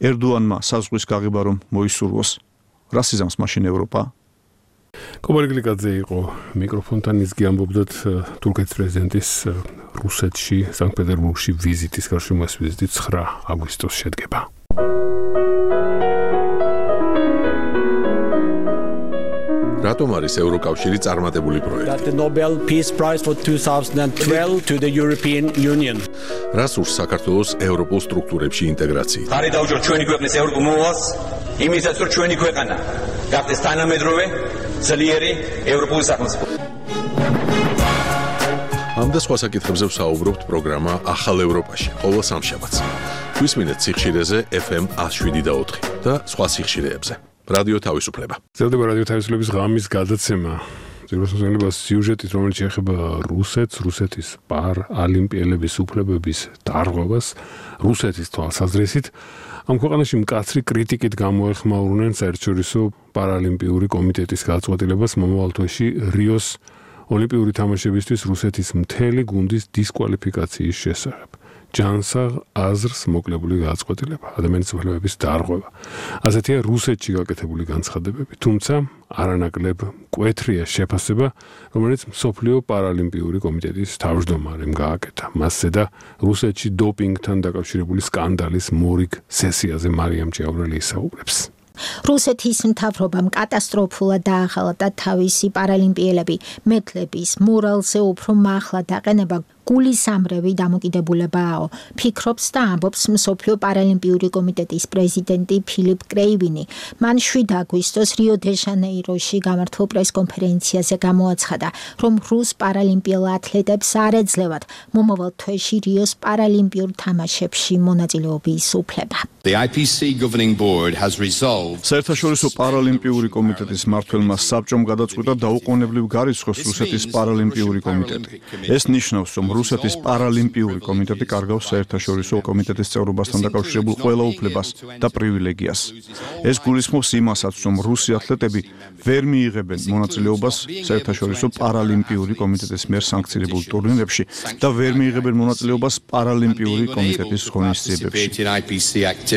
ერდოანმა საზღვრის გაღება რომ მოისურვოს. რას იზამს მაშინ ევროპა? კობარი გლიკაძე იყო მიკროფონთან, ის გიამბობდათ თურქეთის პრეზიდენტის რუსეთში, სანქტ-პეტერბურგში ვიზიტის გარშემო. ეს ვიზიტი 9 აგვისტოს შედგება. რატომ არის ევროკავშირი წარმატებული პროექტი? The Nobel Peace Prize for 2012 to the European Union. რას ურს საქართველოს ევროპულ სტრუქტურებში ინტეგრაციით? ხარი დაუჭიროთ ჩვენი ქვეყნის ევროპულ მოვალს, იმისაც რომ ჩვენი ქვეყანა გახდეს თანამედროვე, ძლიერი ევროპული სახელმწიფო. ამ და სხვა საკითხებზე ვსაუბრობთ პროგრამა ახალ ევროპაში, ყოველ სამშაბათს. გვისმინეთ სიხშირეზე FM 107.4 და სხვა სიხშირეებზე. რადიო თავისუფლება. ძლდება რადიო თავისუფლების ღამის გადაცემა. ზოგადად სიუჟეტით, რომელიც შეეხება რუსეთს, რუსეთის პარალიმპიელების უფლებების დარღვევას, რუსეთის თვალსაზრისით, ამ ქვეყანაში მკაცრი კრიტიკით გამოეხმაურნენ საერთაშორისო პარალიმპიური კომიტეტის გაწყვეტილებას მომავალ თვეში რიოს ოლიმპიური თამაშებისთვის რუსეთის მთელი გუნდის დისკვალიფიკაციის შესახებ. ჯანსაღ აზრს მოკლებული გაწყვეტილება, ადამიანის უფლებების დარღვევა. ასეთია რუსეთში გაკეთებული განცხადებები, თუმცა არანაკლებ მკვეთრია შეფასება, რომელიც მსოფლიო პარალიმპიური კომიტეტის თავმჯდომარემ გააკეთა. მასზე და რუსეთში დოპინგთან დაკავშირებული სკანდალის მორიგ სესიაზე მარიამ ჭიაურელი ისაუბრებს. რუსეთის მთავრობამ კატასტროფულად დაახალა და თავისი პარალიმპიელები მეთლების მორალზე უფრო მაღლა დაყენება გულისამრევი დამოკიდებულებაა. ფიქრობს და ამბობს მსოფლიო პარალიმპიური კომიტეტის პრეზიდენტი ფილიპ კრეივინი. მან 7 აგვისტოს რიო-დე-ჟანეიროში გამართულ პრესკონფერენციაზე გამოაცხადა, რომ რუს პარალიმპიელ ათლეტებს არ ეძლევათ მომავალ თვეში რიოს პარალიმპიურ თამაშებში მონაწილეობის უფლება. The IPC governing board has resolved საერთაშორისო პარალიმპიური კომიტეტის მმართველმა საბჭომ გადაწყვიტა დაუყოვნებლივ გარიცხოს რუსეთის პარალიმპიური კომიტეტი. ეს ნიშნავს, რომ რუსეთის პარალიმპიური კომიტეტი კარგავს საერთაშორისო კომიტეტის წევრობასთან დაკავშირებულ ყველა უფლებას და პრივილეგიას. ეს გულისხმობს იმასაც, რომ რუსი ათლეტები ვერ მიიღებენ მონაწილეობას საერთაშორისო პარალიმპიური კომიტეტის მიერ სანქციონირებულ ტურნირებში და ვერ მიიღებენ მონაწილეობას პარალიმპიური კომიტეტის ღონისძიებებში.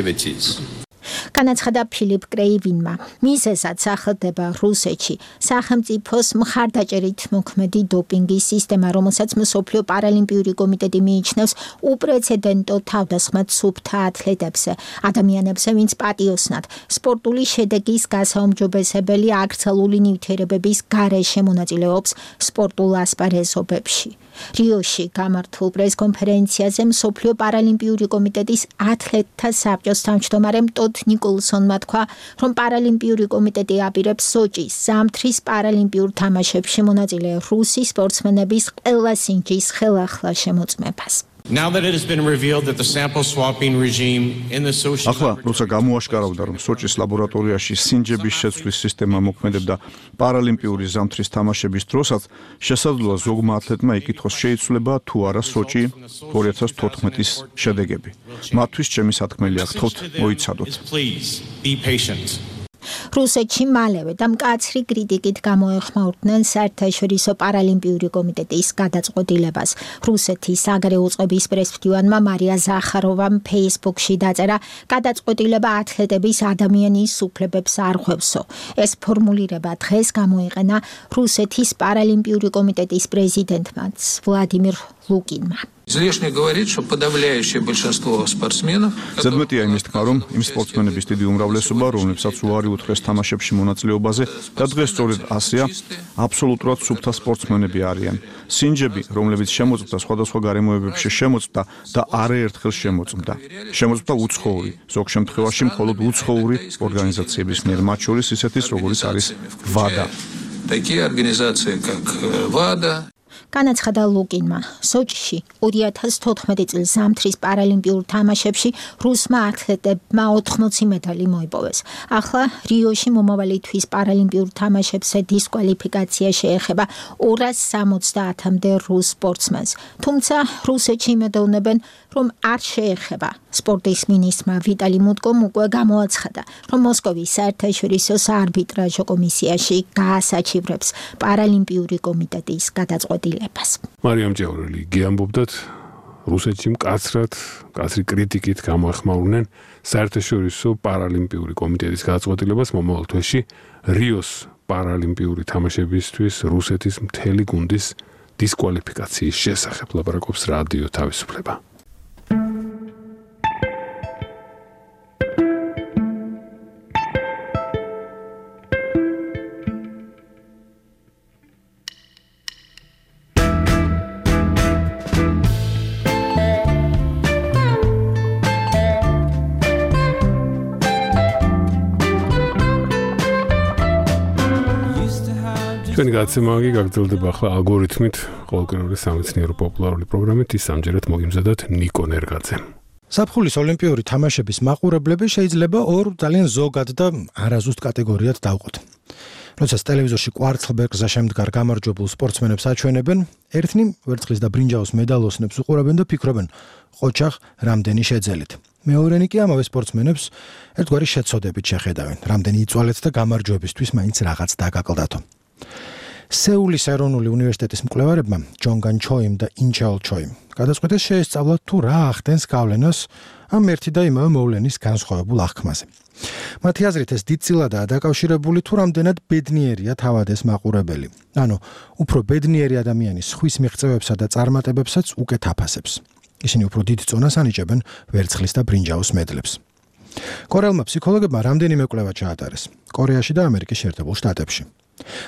განაცხადა ფილიპ კრეივინმა. მიზეზად სახელდება რუსეთში სახელმწიფოს მხარდაჭერით მოქმედი დოპინგის სისტემა, რომელსაც მსოფლიო პარალიმპიური კომიტეტი მიიჩნევს უპრეცედენტო თავდასხმად სუფთა ათლეტებზე, ადამიანებზე, ვინც პატიოსნად სპორტული შედეგის გასაუმჯობესებელი აკრძალული ნივთიერებების გარეშე მონაწილეობს სპორტულ ასპარეზობებში. რიოში გამართულ პრესკონფერენციაზე მსოფლიო პარალიმპიური კომიტეტის ათლეტთა საბჭოს თავმჯდომარემ ტოდ ნიკოლსონმა თქვა, რომ პარალიმპიური კომიტეტი აპირებს სოჭის ზამთრის პარალიმპიურ თამაშებში მონაწილე რუსი სპორტსმენების ყველა სინჯის ხელახლა შემოწმებას. Now that it has been revealed that the sample swapping regime in the Sochi ახლა როცა გამოაშკარავდა, რომ სოჭის ლაბორატორიაში სინჯების შეცვლის სისტემა მოქმედებდა პარალიმპიური ზამთრის თამაშების დროსაც, შესაძლოა ზოგმა ათლეტმა იკითხოს შეიცვლება თუ არა სოჭი 2014-ის შედეგები. მათთვის ჩემი სათქმელია, გთხოვთ, მოიცადოთ. რუსეთში მალევე და მკაცრი კრიტიკით გამოეხმაურდნენ საერთაშორისო პარალიმპიური კომიტეტის გადაწყვეტილებას. რუსეთის საგარეო წყობის პრესმდივანმა მარია ზახაროვამ ფეისბუქში დაწერა, გადაწყვეტილება ათლეტების ადამიანის უფლებებს არ ხვევსო. ეს ფორმულირება დღეს გამოიყენა რუსეთის პარალიმპიური კომიტეტის პრეზიდენტმა ვლადიმირ ლუკინმა. Излишне говорить, что подавляющее большинство спортсменов, ზედმეტია იმის თქმა, რომ იმ სპორტსმენების დიდი უმრავლესობა, რომლებსაც უარი უთხრეს თამაშებში მონაწილეობაზე და დღეს სწორედ ასეა, აბსოლუტურად სუფთა სპორტსმენები არიან. სინჯები, რომლებიც შემოწმდა სხვადასხვა გარემოებებში შემოწმდა და არაერთხელ შემოწმდა. შემოწმდა უცხოური, ზოგ შემთხვევაში მხოლოდ უცხოური ორგანიზაციების მიერ, მათ შორის ისეთის, როგორიც არის WADA. Такие организации, как WADA, განაცხადა ლუკინმა, სოჭში 2014 წლის ზამთრის პარალიმპიურ თამაშებში რუსმა ათლეტებმა 80 მედალი მოიპოვეს. ახლა რიოში მომავალი თვის პარალიმპიურ თამაშებზე დისკვალიფიკაცია შეეხება 270-მდე რუს სპორტსმენს. თუმცა რუსეთში იმედოვნებენ, რომ არ შეეხება. სპორტის მინისტრმა ვიტალი მუტკომ უკვე გამოაცხადა, რომ მოსკოვის საერთაშორისო საარბიტრაჟო კომისიაში გაასაჩივრებს პარალიმპიური კომიტეტის გადაწყვეტილებას. მარიამ ჭევრელი გიამბობდათ, რუსეთში მკაცრი კრიტიკით გამოეხმაურნენ საერთაშორისო პარალიმპიური კომიტეტის გადაწყვეტილებას მომავალ თვეში რიოს პარალიმპიური თამაშებისთვის რუსეთის მთელი გუნდის დისკვალიფიკაციის შესახებ. ლაპარაკობს რადიო თავისუფლება. ჩვენი გაცემაგი გაგრძელდება ახლა ალგორითმით, ყოველკვირეული სამეცნიერო პოპულარული პროგრამით, ის ამჯერად მოგიმზადათ ნიკო ნერგაძემ. საფხულის ოლიმპიური თამაშების მაყურებლები შეიძლება ორ ძალიან ზოგად და არაზუსტ კატეგორიად დავყოთ. როდესაც ტელევიზორში კვარცხლბეკზე შემდგარ გამარჯვებულ სპორტსმენებს აჩვენებენ, ერთნი ვერცხლის და ბრინჯაოს მედალოსნებს უყურებენ და ფიქრობენ, ყოჩაღ რამდენი შეძელით. მეორენი კი ამავე სპორტსმენებს ერთგვარი შეცოდებით შეხედავენ, რამდენი იწვალეთ და გამარჯვებისთვის მაინც რაღაც დაგაკლდათო. სეულის ეროვნული უნივერსიტეტის მკვლევარებმა ჯონგან ჩოიმ და ინჩაოლ ჩოიმ გადაწყვიტეს შეესწავლათ თუ რა ახდენს გავლენას ამ ერთი და იმავე მოვლენის განსხვავებულ აღქმაზე. მათი აზრით ეს დიდწილადაა დაკავშირებული თუ რამდენად ბედნიერია თავად ეს მაყურებელი. ანუ უფრო ბედნიერი ადამიანი სხვის მიღწევებსა და წარმატებებსაც უკეთ აფასებს. ისინი უფრო დიდ წონას ანიჭებენ ვერცხლის და ბრინჯაოს მედლებს. კორეელმა ფსიქოლოგებმა რამდენიმე კვლევა ჩაატარეს კორეაში და ამერიკის შეერთებულ შტატებში.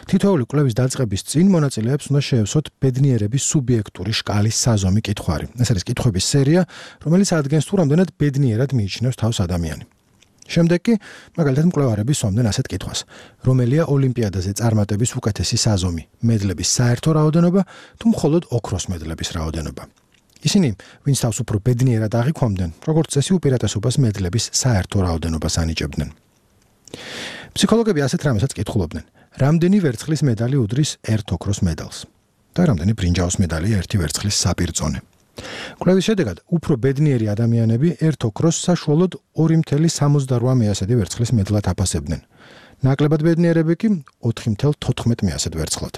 თითოეული კვლევის დაწყების წინ მონაწილეებს უნდა შეევსოთ ბედნიერების სუბიექტური შკალის საზომი კითხვარი. ეს არის კითხვების სერია, რომელიც ადგენს თუ რამდენად ბედნიერად მიიჩნევს თავს ადამიანი. შემდეგ კი, მაგალითად, მკვლევარები სვამდნენ ასეთ კითხვას: რომელია ოლიმპიადაზე წარმატების უკეთესი საზომი, მედლების საერთო რაოდენობა თუ მხოლოდ ოქროს მედლების რაოდენობა? ისინი, ვინც თავს უფრო ბედნიერად აღიქვამდნენ, როგორც წესი უპირატესობას მედლების საერთო რაოდენობას ანიჭებდნენ. ფსიქოლოგები ასეთ რამესაც კითხულობდნენ: რამდენი ვერცხლის медаლი უდრის ერთ ოქროს медаლს და რამდენი ბრინჯაოს медаლი ერთი ვერცხლის საპირწონე. კვლევის შედეგად, უფრო ბედნიერი ადამიანები ერთ ოქროს საშუალოდ 2.78 ვერცხლის медаლად აფასებდნენ. ნაკლებად ბედნიერები კი 4.14 ვერცხლად.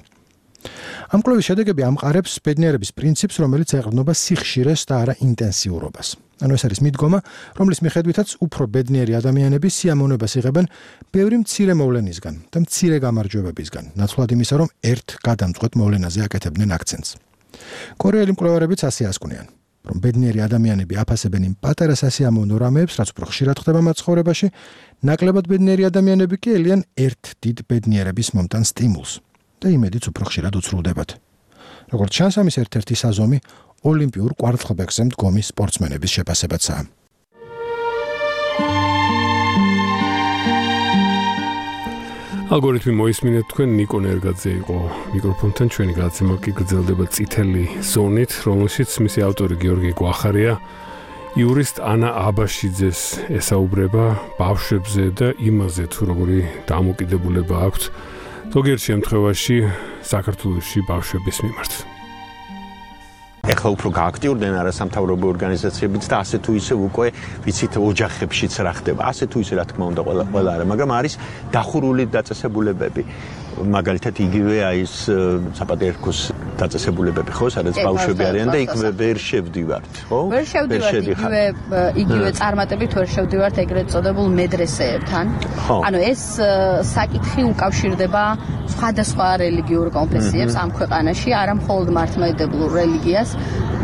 ამ კვლევის შედეგები ამყარებს ბედნიერების პრინციპს, რომელიც ეყრდნობა სიხშირეს და არა ინტენსიურობას. ანუ ეს არის მიდგომა, რომლის მიხედვითაც უფრო ბედნიერი ადამიანები სიამოვნებას იღებენ ბევრი მცირე მოვლენისგან და მცირე გამარჯვებებისგან, ნაცვლად იმისა, რომ ერთ გადამწყვეტ მოვლენაზე აკეთებდნენ აქცენტს. კორეელი მკვლევარებიც ასე ასკვნიან, რომ ბედნიერი ადამიანები აფასებენ იმ პატარა სასიამოვნო რამეებს, რაც უფრო ხშირად ხდება მათ ცხოვრებაში, ნაკლებად ბედნიერი ადამიანები კი ელიან ერთ დიდ ბედნიერების მომტან სტიმულს და იმედიც უფრო ხშირად უცრულდებათ. როგორც ჩანს, ამის ერთ-ერთი საზომი ოლიმპიურ კვარცხლბეკზე მდგომი სპორტსმენების შეფასებაცაა. ალგორითმი მოისმინეთ თქვენ, ნიკო ნერგაძე იყო მიკროფონთან, ჩვენი გადაცემა კი გრძელდება წითელი ზონით, რომელშიც მისი ავტორი გიორგი გვახარია იურისტ ანა აბაშიძეს ესაუბრება ბავშვებზე და იმაზე, თუ როგორი დამოკიდებულება აქვთ ზოგიერთ შემთხვევაში საქართველოში ბავშვების მიმართ. ეხლა უფრო გააქტიურდნენ არასამთავრობო ორგანიზაციებიც და ასე თუ ისე უკვე ვიცით ოჯახებშიც რა ხდება. ასე თუ ისე რა თქმა უნდა ყველა არა, მაგრამ არის დახურული დაწესებულებები. მაგალითად იგივე ის საპატრიარქოს დაწესებულებები, ხო, სადაც ბავშვები არიან და იქ ვერ შევდივართ, ხო? ვერ შევდივართ, იგივე წარმატებით ვერ შევდივართ ეგრეთ წოდებულ მედრესეებთან. ანუ ეს საკითხი უკავშირდება სხვადასხვა რელიგიურ კონფესიებს ამ ქვეყანაში, არა მხოლოდ მართლმადიდებლურ რელიგიას.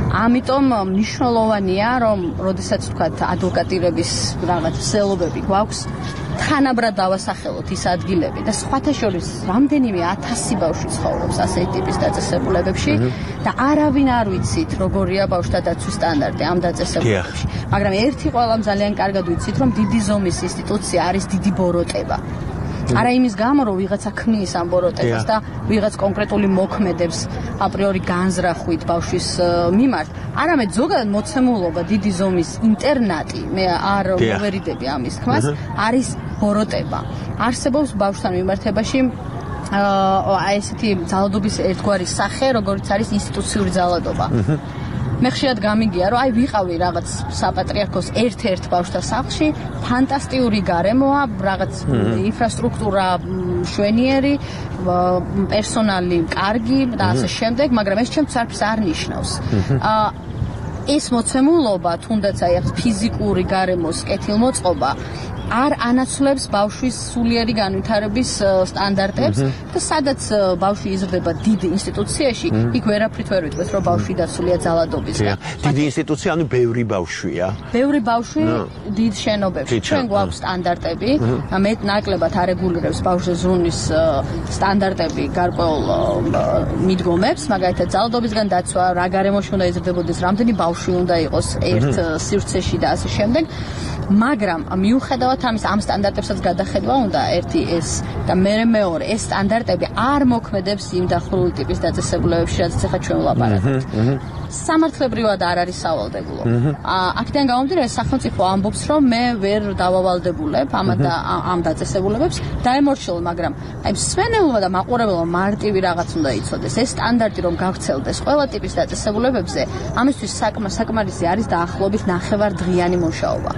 ამიტომ მნიშვნელოვანია, რომ როდესაც თქვათ ადვოკატირების რაღაც მსელობები გვაქვს, თანაბრად დავასახელოთ ის ადგილები და სხვათა შორის რამდენიმე 1000 ბავშვი ცხოვრობს ასეთი ტიპის დაწესებულებებში და არავინ არ ვიცით როგორია ბავშვთა დაცვის სტანდარტი ამ დაწესებულებებში. მაგრამ ერთი ყველამ ძალიან კარგად ვიცით, რომ დიდი ზომის ინსტიტუცია არის დიდი ბოროტება. არა იმის გამო, რომ ვიღაცა ქმნის ამ ბოროტებას და ვიღაც კონკრეტული მოქმედებს აპრიორი განზრახვით ბავშვის მიმართ, არამედ ზოგადად მოცემულობა დიდი ზომის ინტერნატი, მე არ მოვერიდები ამის თქმას, არის ბოროტება. არსებობს ბავშვთან მიმართებაში ესეთი ძალადობის ერთგვარი სახე, როგორც არის ინსტიტუციური ძალადობა. მე ხშირად გამიგია, რომ ვიყავი რაღაც საპატრიარქოს ერთ-ერთ ბავშვთა სახლში, ფანტასტიკური გარემოა, რაღაც ინფრასტრუქტურა მშვენიერი, პერსონალი კარგი და ასე შემდეგ, მაგრამ ეს ჩემთვის არაფერს არ ნიშნავს. ეს მოცემულობა, თუნდაც ფიზიკური გარემოს კეთილმოწყობა არ ანაცვლებს ბავშვის სულიერი განვითარების სტანდარტებს და სადაც ბავშვი იზრდება დიდ ინსტიტუციაში, იქ ვერაფრით ვერ ვიტყვით, რომ ბავშვი დაცულია ძალადობისგან. დიდი ინსტიტუცია, ანუ ბევრი ბავშვია. ბევრი ბავშვი დიდ შენობებში. ჩვენ გვაქვს სტანდარტები, მეტ ნაკლებად არეგულირებს ბავშვის ზრუნვის სტანდარტები გარკვეულ მიდგომებს, მაგალითად ძალადობისგან დაცვა, რა გარემოში უნდა იზრდებოდეს, რამდენი ბავშვი უნდა იყოს ერთ სივრცეში და ასე შემდეგ. მაგრამ მიუხედავად ამის ამ სტანდარტებსაც გადახედვა უნდა ერთი ეს და მეორე ეს სტანდარტები არ მოქმედებს იმ დახურული ტიპის დაწესებულებებში, რაზეც ახლა ჩვენ ვლაპარაკობთ. სამართლებრივად არ არის სავალდებულო. აქედან გამომდინარე სახელმწიფო ამბობს, რომ მე ვერ დავავალდებულებ ამ დაწესებულებებს, დაემორჩილო, მაგრამ მსმენელობა და მაყურებელობა მარტივი რაღაც უნდა იცოდეს. ეს სტანდარტი რომ გავრცელდეს ყველა ტიპის დაწესებულებებზე, ამისთვის საკმარისი არის დაახლოებით 9 დღიანი მუშაობა.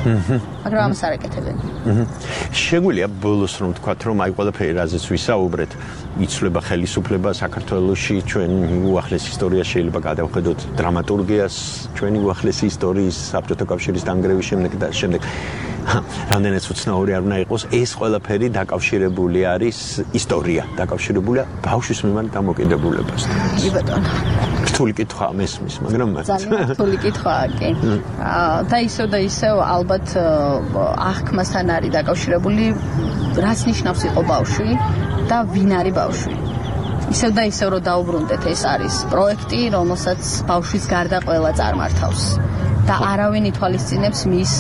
მაგრამ ამას არ ეკეთებენ. შეგვიძლია ბოლოს რომ ვთქვათ, რომ ყველაფერი რაზეც ვისაუბრეთ, იცვლება ხელისუფლება საქართველოში, ჩვენ უახლეს ისტორია შეიძლება გადავხედოთ დრამატურგიას, ჩვენი უახლესი ისტორიის საბჭოთა კავშირის დანგრევის შემდეგ და შემდეგ. რამდენიც უცნაური არ უნდა იყოს, ეს ყველაფერი დაკავშირებული არის ისტორია, დაკავშირებულია ბავშვის მიმართ დამოკიდებულებასთან. კი ბატონო. რთული კითხვაა მესმის, მაგრამ ძალიან რთული კითხვაა, კი. და ისევ ალბათ აღქმასთან არის დაკავშირებული, რაც ნიშნავს იყო ბავშვი და ვინ არის ბავშვი. ისევ და ისევ რომ დაუბრუნდეთ, ეს არის პროექტი, რომელსაც ბავშვის გარდა ყველა წარმართავს. და არავინ ითვალისწინებს მის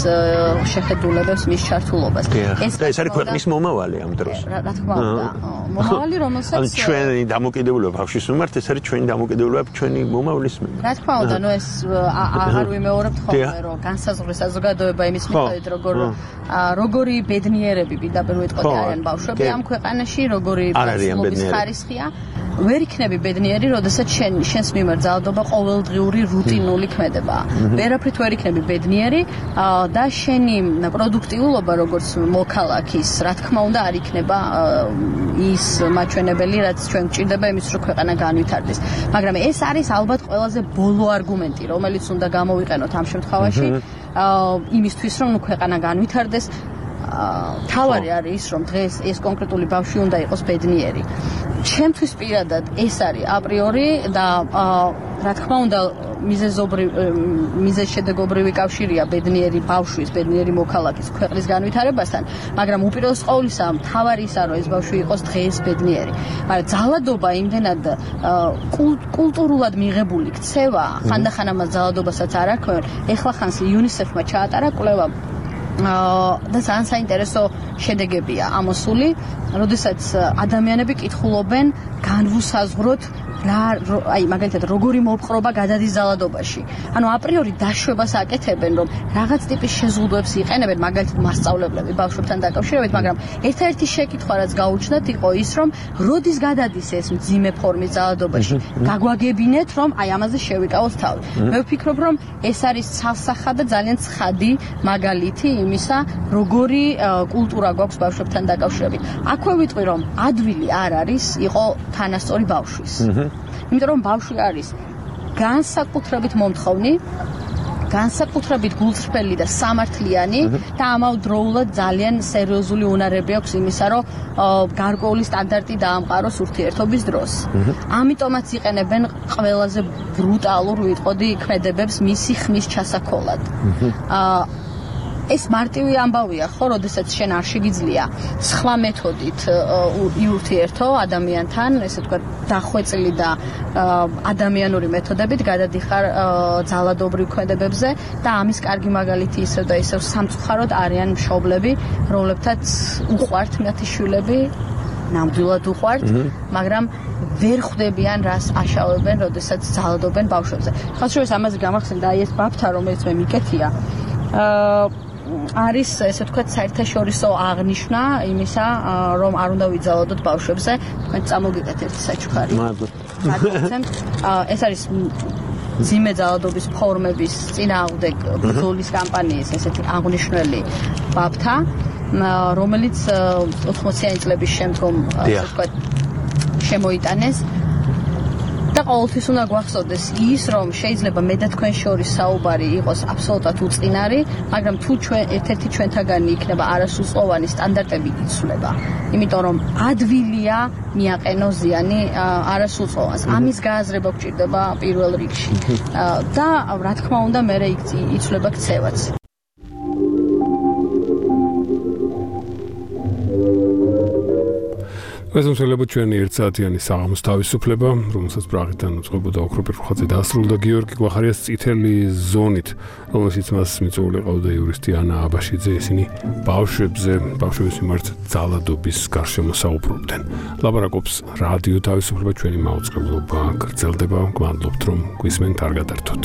შეხედულებებს, მის ჩართულობას. ეს არის ქვეყნის მომავალი ამ დროს. რა თქმა უნდა, მომავალი, რომელსაც ჩვენი დამოკიდებულება ბავშვის მიმართ, ეს არის ჩვენი დამოკიდებულება ჩვენი მომავლის მიმართ. რა თქმა უნდა, ეს აღარ ვიმეორებთ ხოლმე, რომ განსაზღვრის საზოგადოება იმის მიხედვით, როგორი ბედნიერები პირდაპირ ვიტყოდი არიან ბავშვები ამ ქვეყანაში, როგორი ბავშვობის ხარისხია. ვერ იქნები ბედნიერი, როდესაც შენს მიმართ ძალადობა ყოველდღიური რუტინული ქმედება. ვერაფრით ვერ იქნები ბედნიერი და შენი პროდუქტიულობა, როგორც მოქალაქის, რა თქმა უნდა, არ იქნება ის მაჩვენებელი, რაც ჩვენ გვჭირდება იმის, რომ ქვეყანა განვითარდეს. მაგრამ ეს არის ალბათ ყველაზე ბოლო არგუმენტი, რომელიც უნდა გამოვიყენოთ ამ შემთხვევაში, იმისთვის, რომ ქვეყანა განვითარდეს. თავარი არის ის, რომ დღეს ეს კონკრეტული ბავშვი უნდა იყოს ბედნიერი. ჩემთვის პირადად ეს არის აპრიორი და რა თქმა უნდა მიზეზშედეგობრივი კავშირია ბედნიერი ბავშვის, ბედნიერი მოქალაქის ქვეყნის განვითარებასთან, მაგრამ უპირველეს ყოვლისა მთავარი ისა, რომ ეს ბავშვი იყოს დღეს ბედნიერი. მაგრამ ძალადობა იმდენად კულტურულად მიღებული ქცევა, ხანდახან ამას ძალადობასაც არ არქვენ. ეხლა ხანს UNICEF-მა ჩაატარა კვლევა და ძალიან საინტერესო შედეგებია ამოსული, როდესაც ადამიანები კითხულობენ განვუსაზღვროთ მაგალითად როგორი მოპყრობა გადადის ძალადობაში. ანუ აპრიორი დაშვებას აკეთებენ, რომ რაღაც ტიპის შეზღუდვებს იყენებენ, მაგალითად მასწავლებლები ბავშვებთან დაკავშირებით, მაგრამ ერთ-ერთი შეკითხვა რაც გაუჩნდათ იყო ის, რომ როდის გადადის ეს მძიმე ფორმის ძალადობაში. გაგვაგებინეთ, რომ ამაზე შევიკავოთ თავი. მე ვფიქრობ, რომ ეს არის ცალსახა და ძალიან ცხადი მაგალითი იმისა, როგორი კულტურა გვაქვს ბავშვებთან დაკავშირებით. აქვე ვიტყვი, რომ ადვილი არ არის იყო თანასწორი ბავშვის. იმიტომ რომ ბავშვი არის განსაკუთრებით მომთხოვნი, განსაკუთრებით გულწრფელი და სამართლიანი და ამავდროულად ძალიან სერიოზული უნარები აქვს იმისა, რომ გარკვეული სტანდარტი დაამყაროს ურთიერთობის დროს. ამიტომაც იყენებენ ყველაზე ბრუტალურ ვიტყოდი ქმედებებს მისი ხმის ჩასაქოლად. ეს მარტივი ამბავია, ხო, როდესაც შენ არ შეგიძლია სხვა მეთოდით იურთიერთო ადამიანთან, ესე ვთქვათ, დახვეწილი და ადამიანური მეთოდებით გადადიხარ ძალადობრივ ქმედებებზე და ამის კარგი მაგალითი ისევ და ისევ სამწუხაროდ არიან მშობლები, რომლებთაც უყვართ მათი შვილები, ნამდვილად უყვართ, მაგრამ ვერ ხვდებიან რას აშავებენ, როდესაც ძალადობენ ბავშვებზე. ხალხშორის ამაზე გამახსენდა ეს ბაბთა, რომელიც მე მიკეთია. არის ესე ვთქვათ საერთაშორისო აღნიშვნა იმისა, რომ არ უნდა ვიძალადოთ ბავშვებზე. თქვენ წამოგიგეთ ერთი საჩუქარი. მადლობთ. ეს არის ძიმე ძალადობის ფორმების წინააღმდეგ ბრძოლის კამპანიის ესეთი აღნიშნული ბაბთა, რომელიც 80-იანი წლების შემდგომ ესე ვთქვათ შემოიტანეს. და ყოველთვის უნდა გვახსოვდეს ის, რომ შეიძლება მე და თქვენ შორის საუბარი იყოს აბსოლუტურად უწყინარი, მაგრამ თუ ჩვენ ერთ-ერთი ჩვენთაგანი იქნება არასრულწლოვანი, სტანდარტები იცვლება. იმიტომ რომ ადვილია მიაყენო ზიანი არასრულწლოვანს. ამის გააზრება გვჭირდება პირველ რიგში. და რა თქმა უნდა, მე იცვლება ქცევაც. ეს უმსხვილებოდ ჩვენი ერთსაათიანი საღამოს თავისუფლება, რომელსაც პრაღიდან უწყებოდა ოქროპირ ხალხი დაასრულა გიორგი გვახარიას წითელი ზონით, რომელშიც მას მიწვეული ყავდა იურისტი ანა აბაშიძე, ისინი ბავშვების მიმართ ძალადობის გარშემო საუბრობდნენ. ლაპარაკობს რადიო თავისუფლება, ჩვენი მაუწყებლობა გრძელდება, გვამადლობთ რომ გვისმენთ, არ გადართოთ.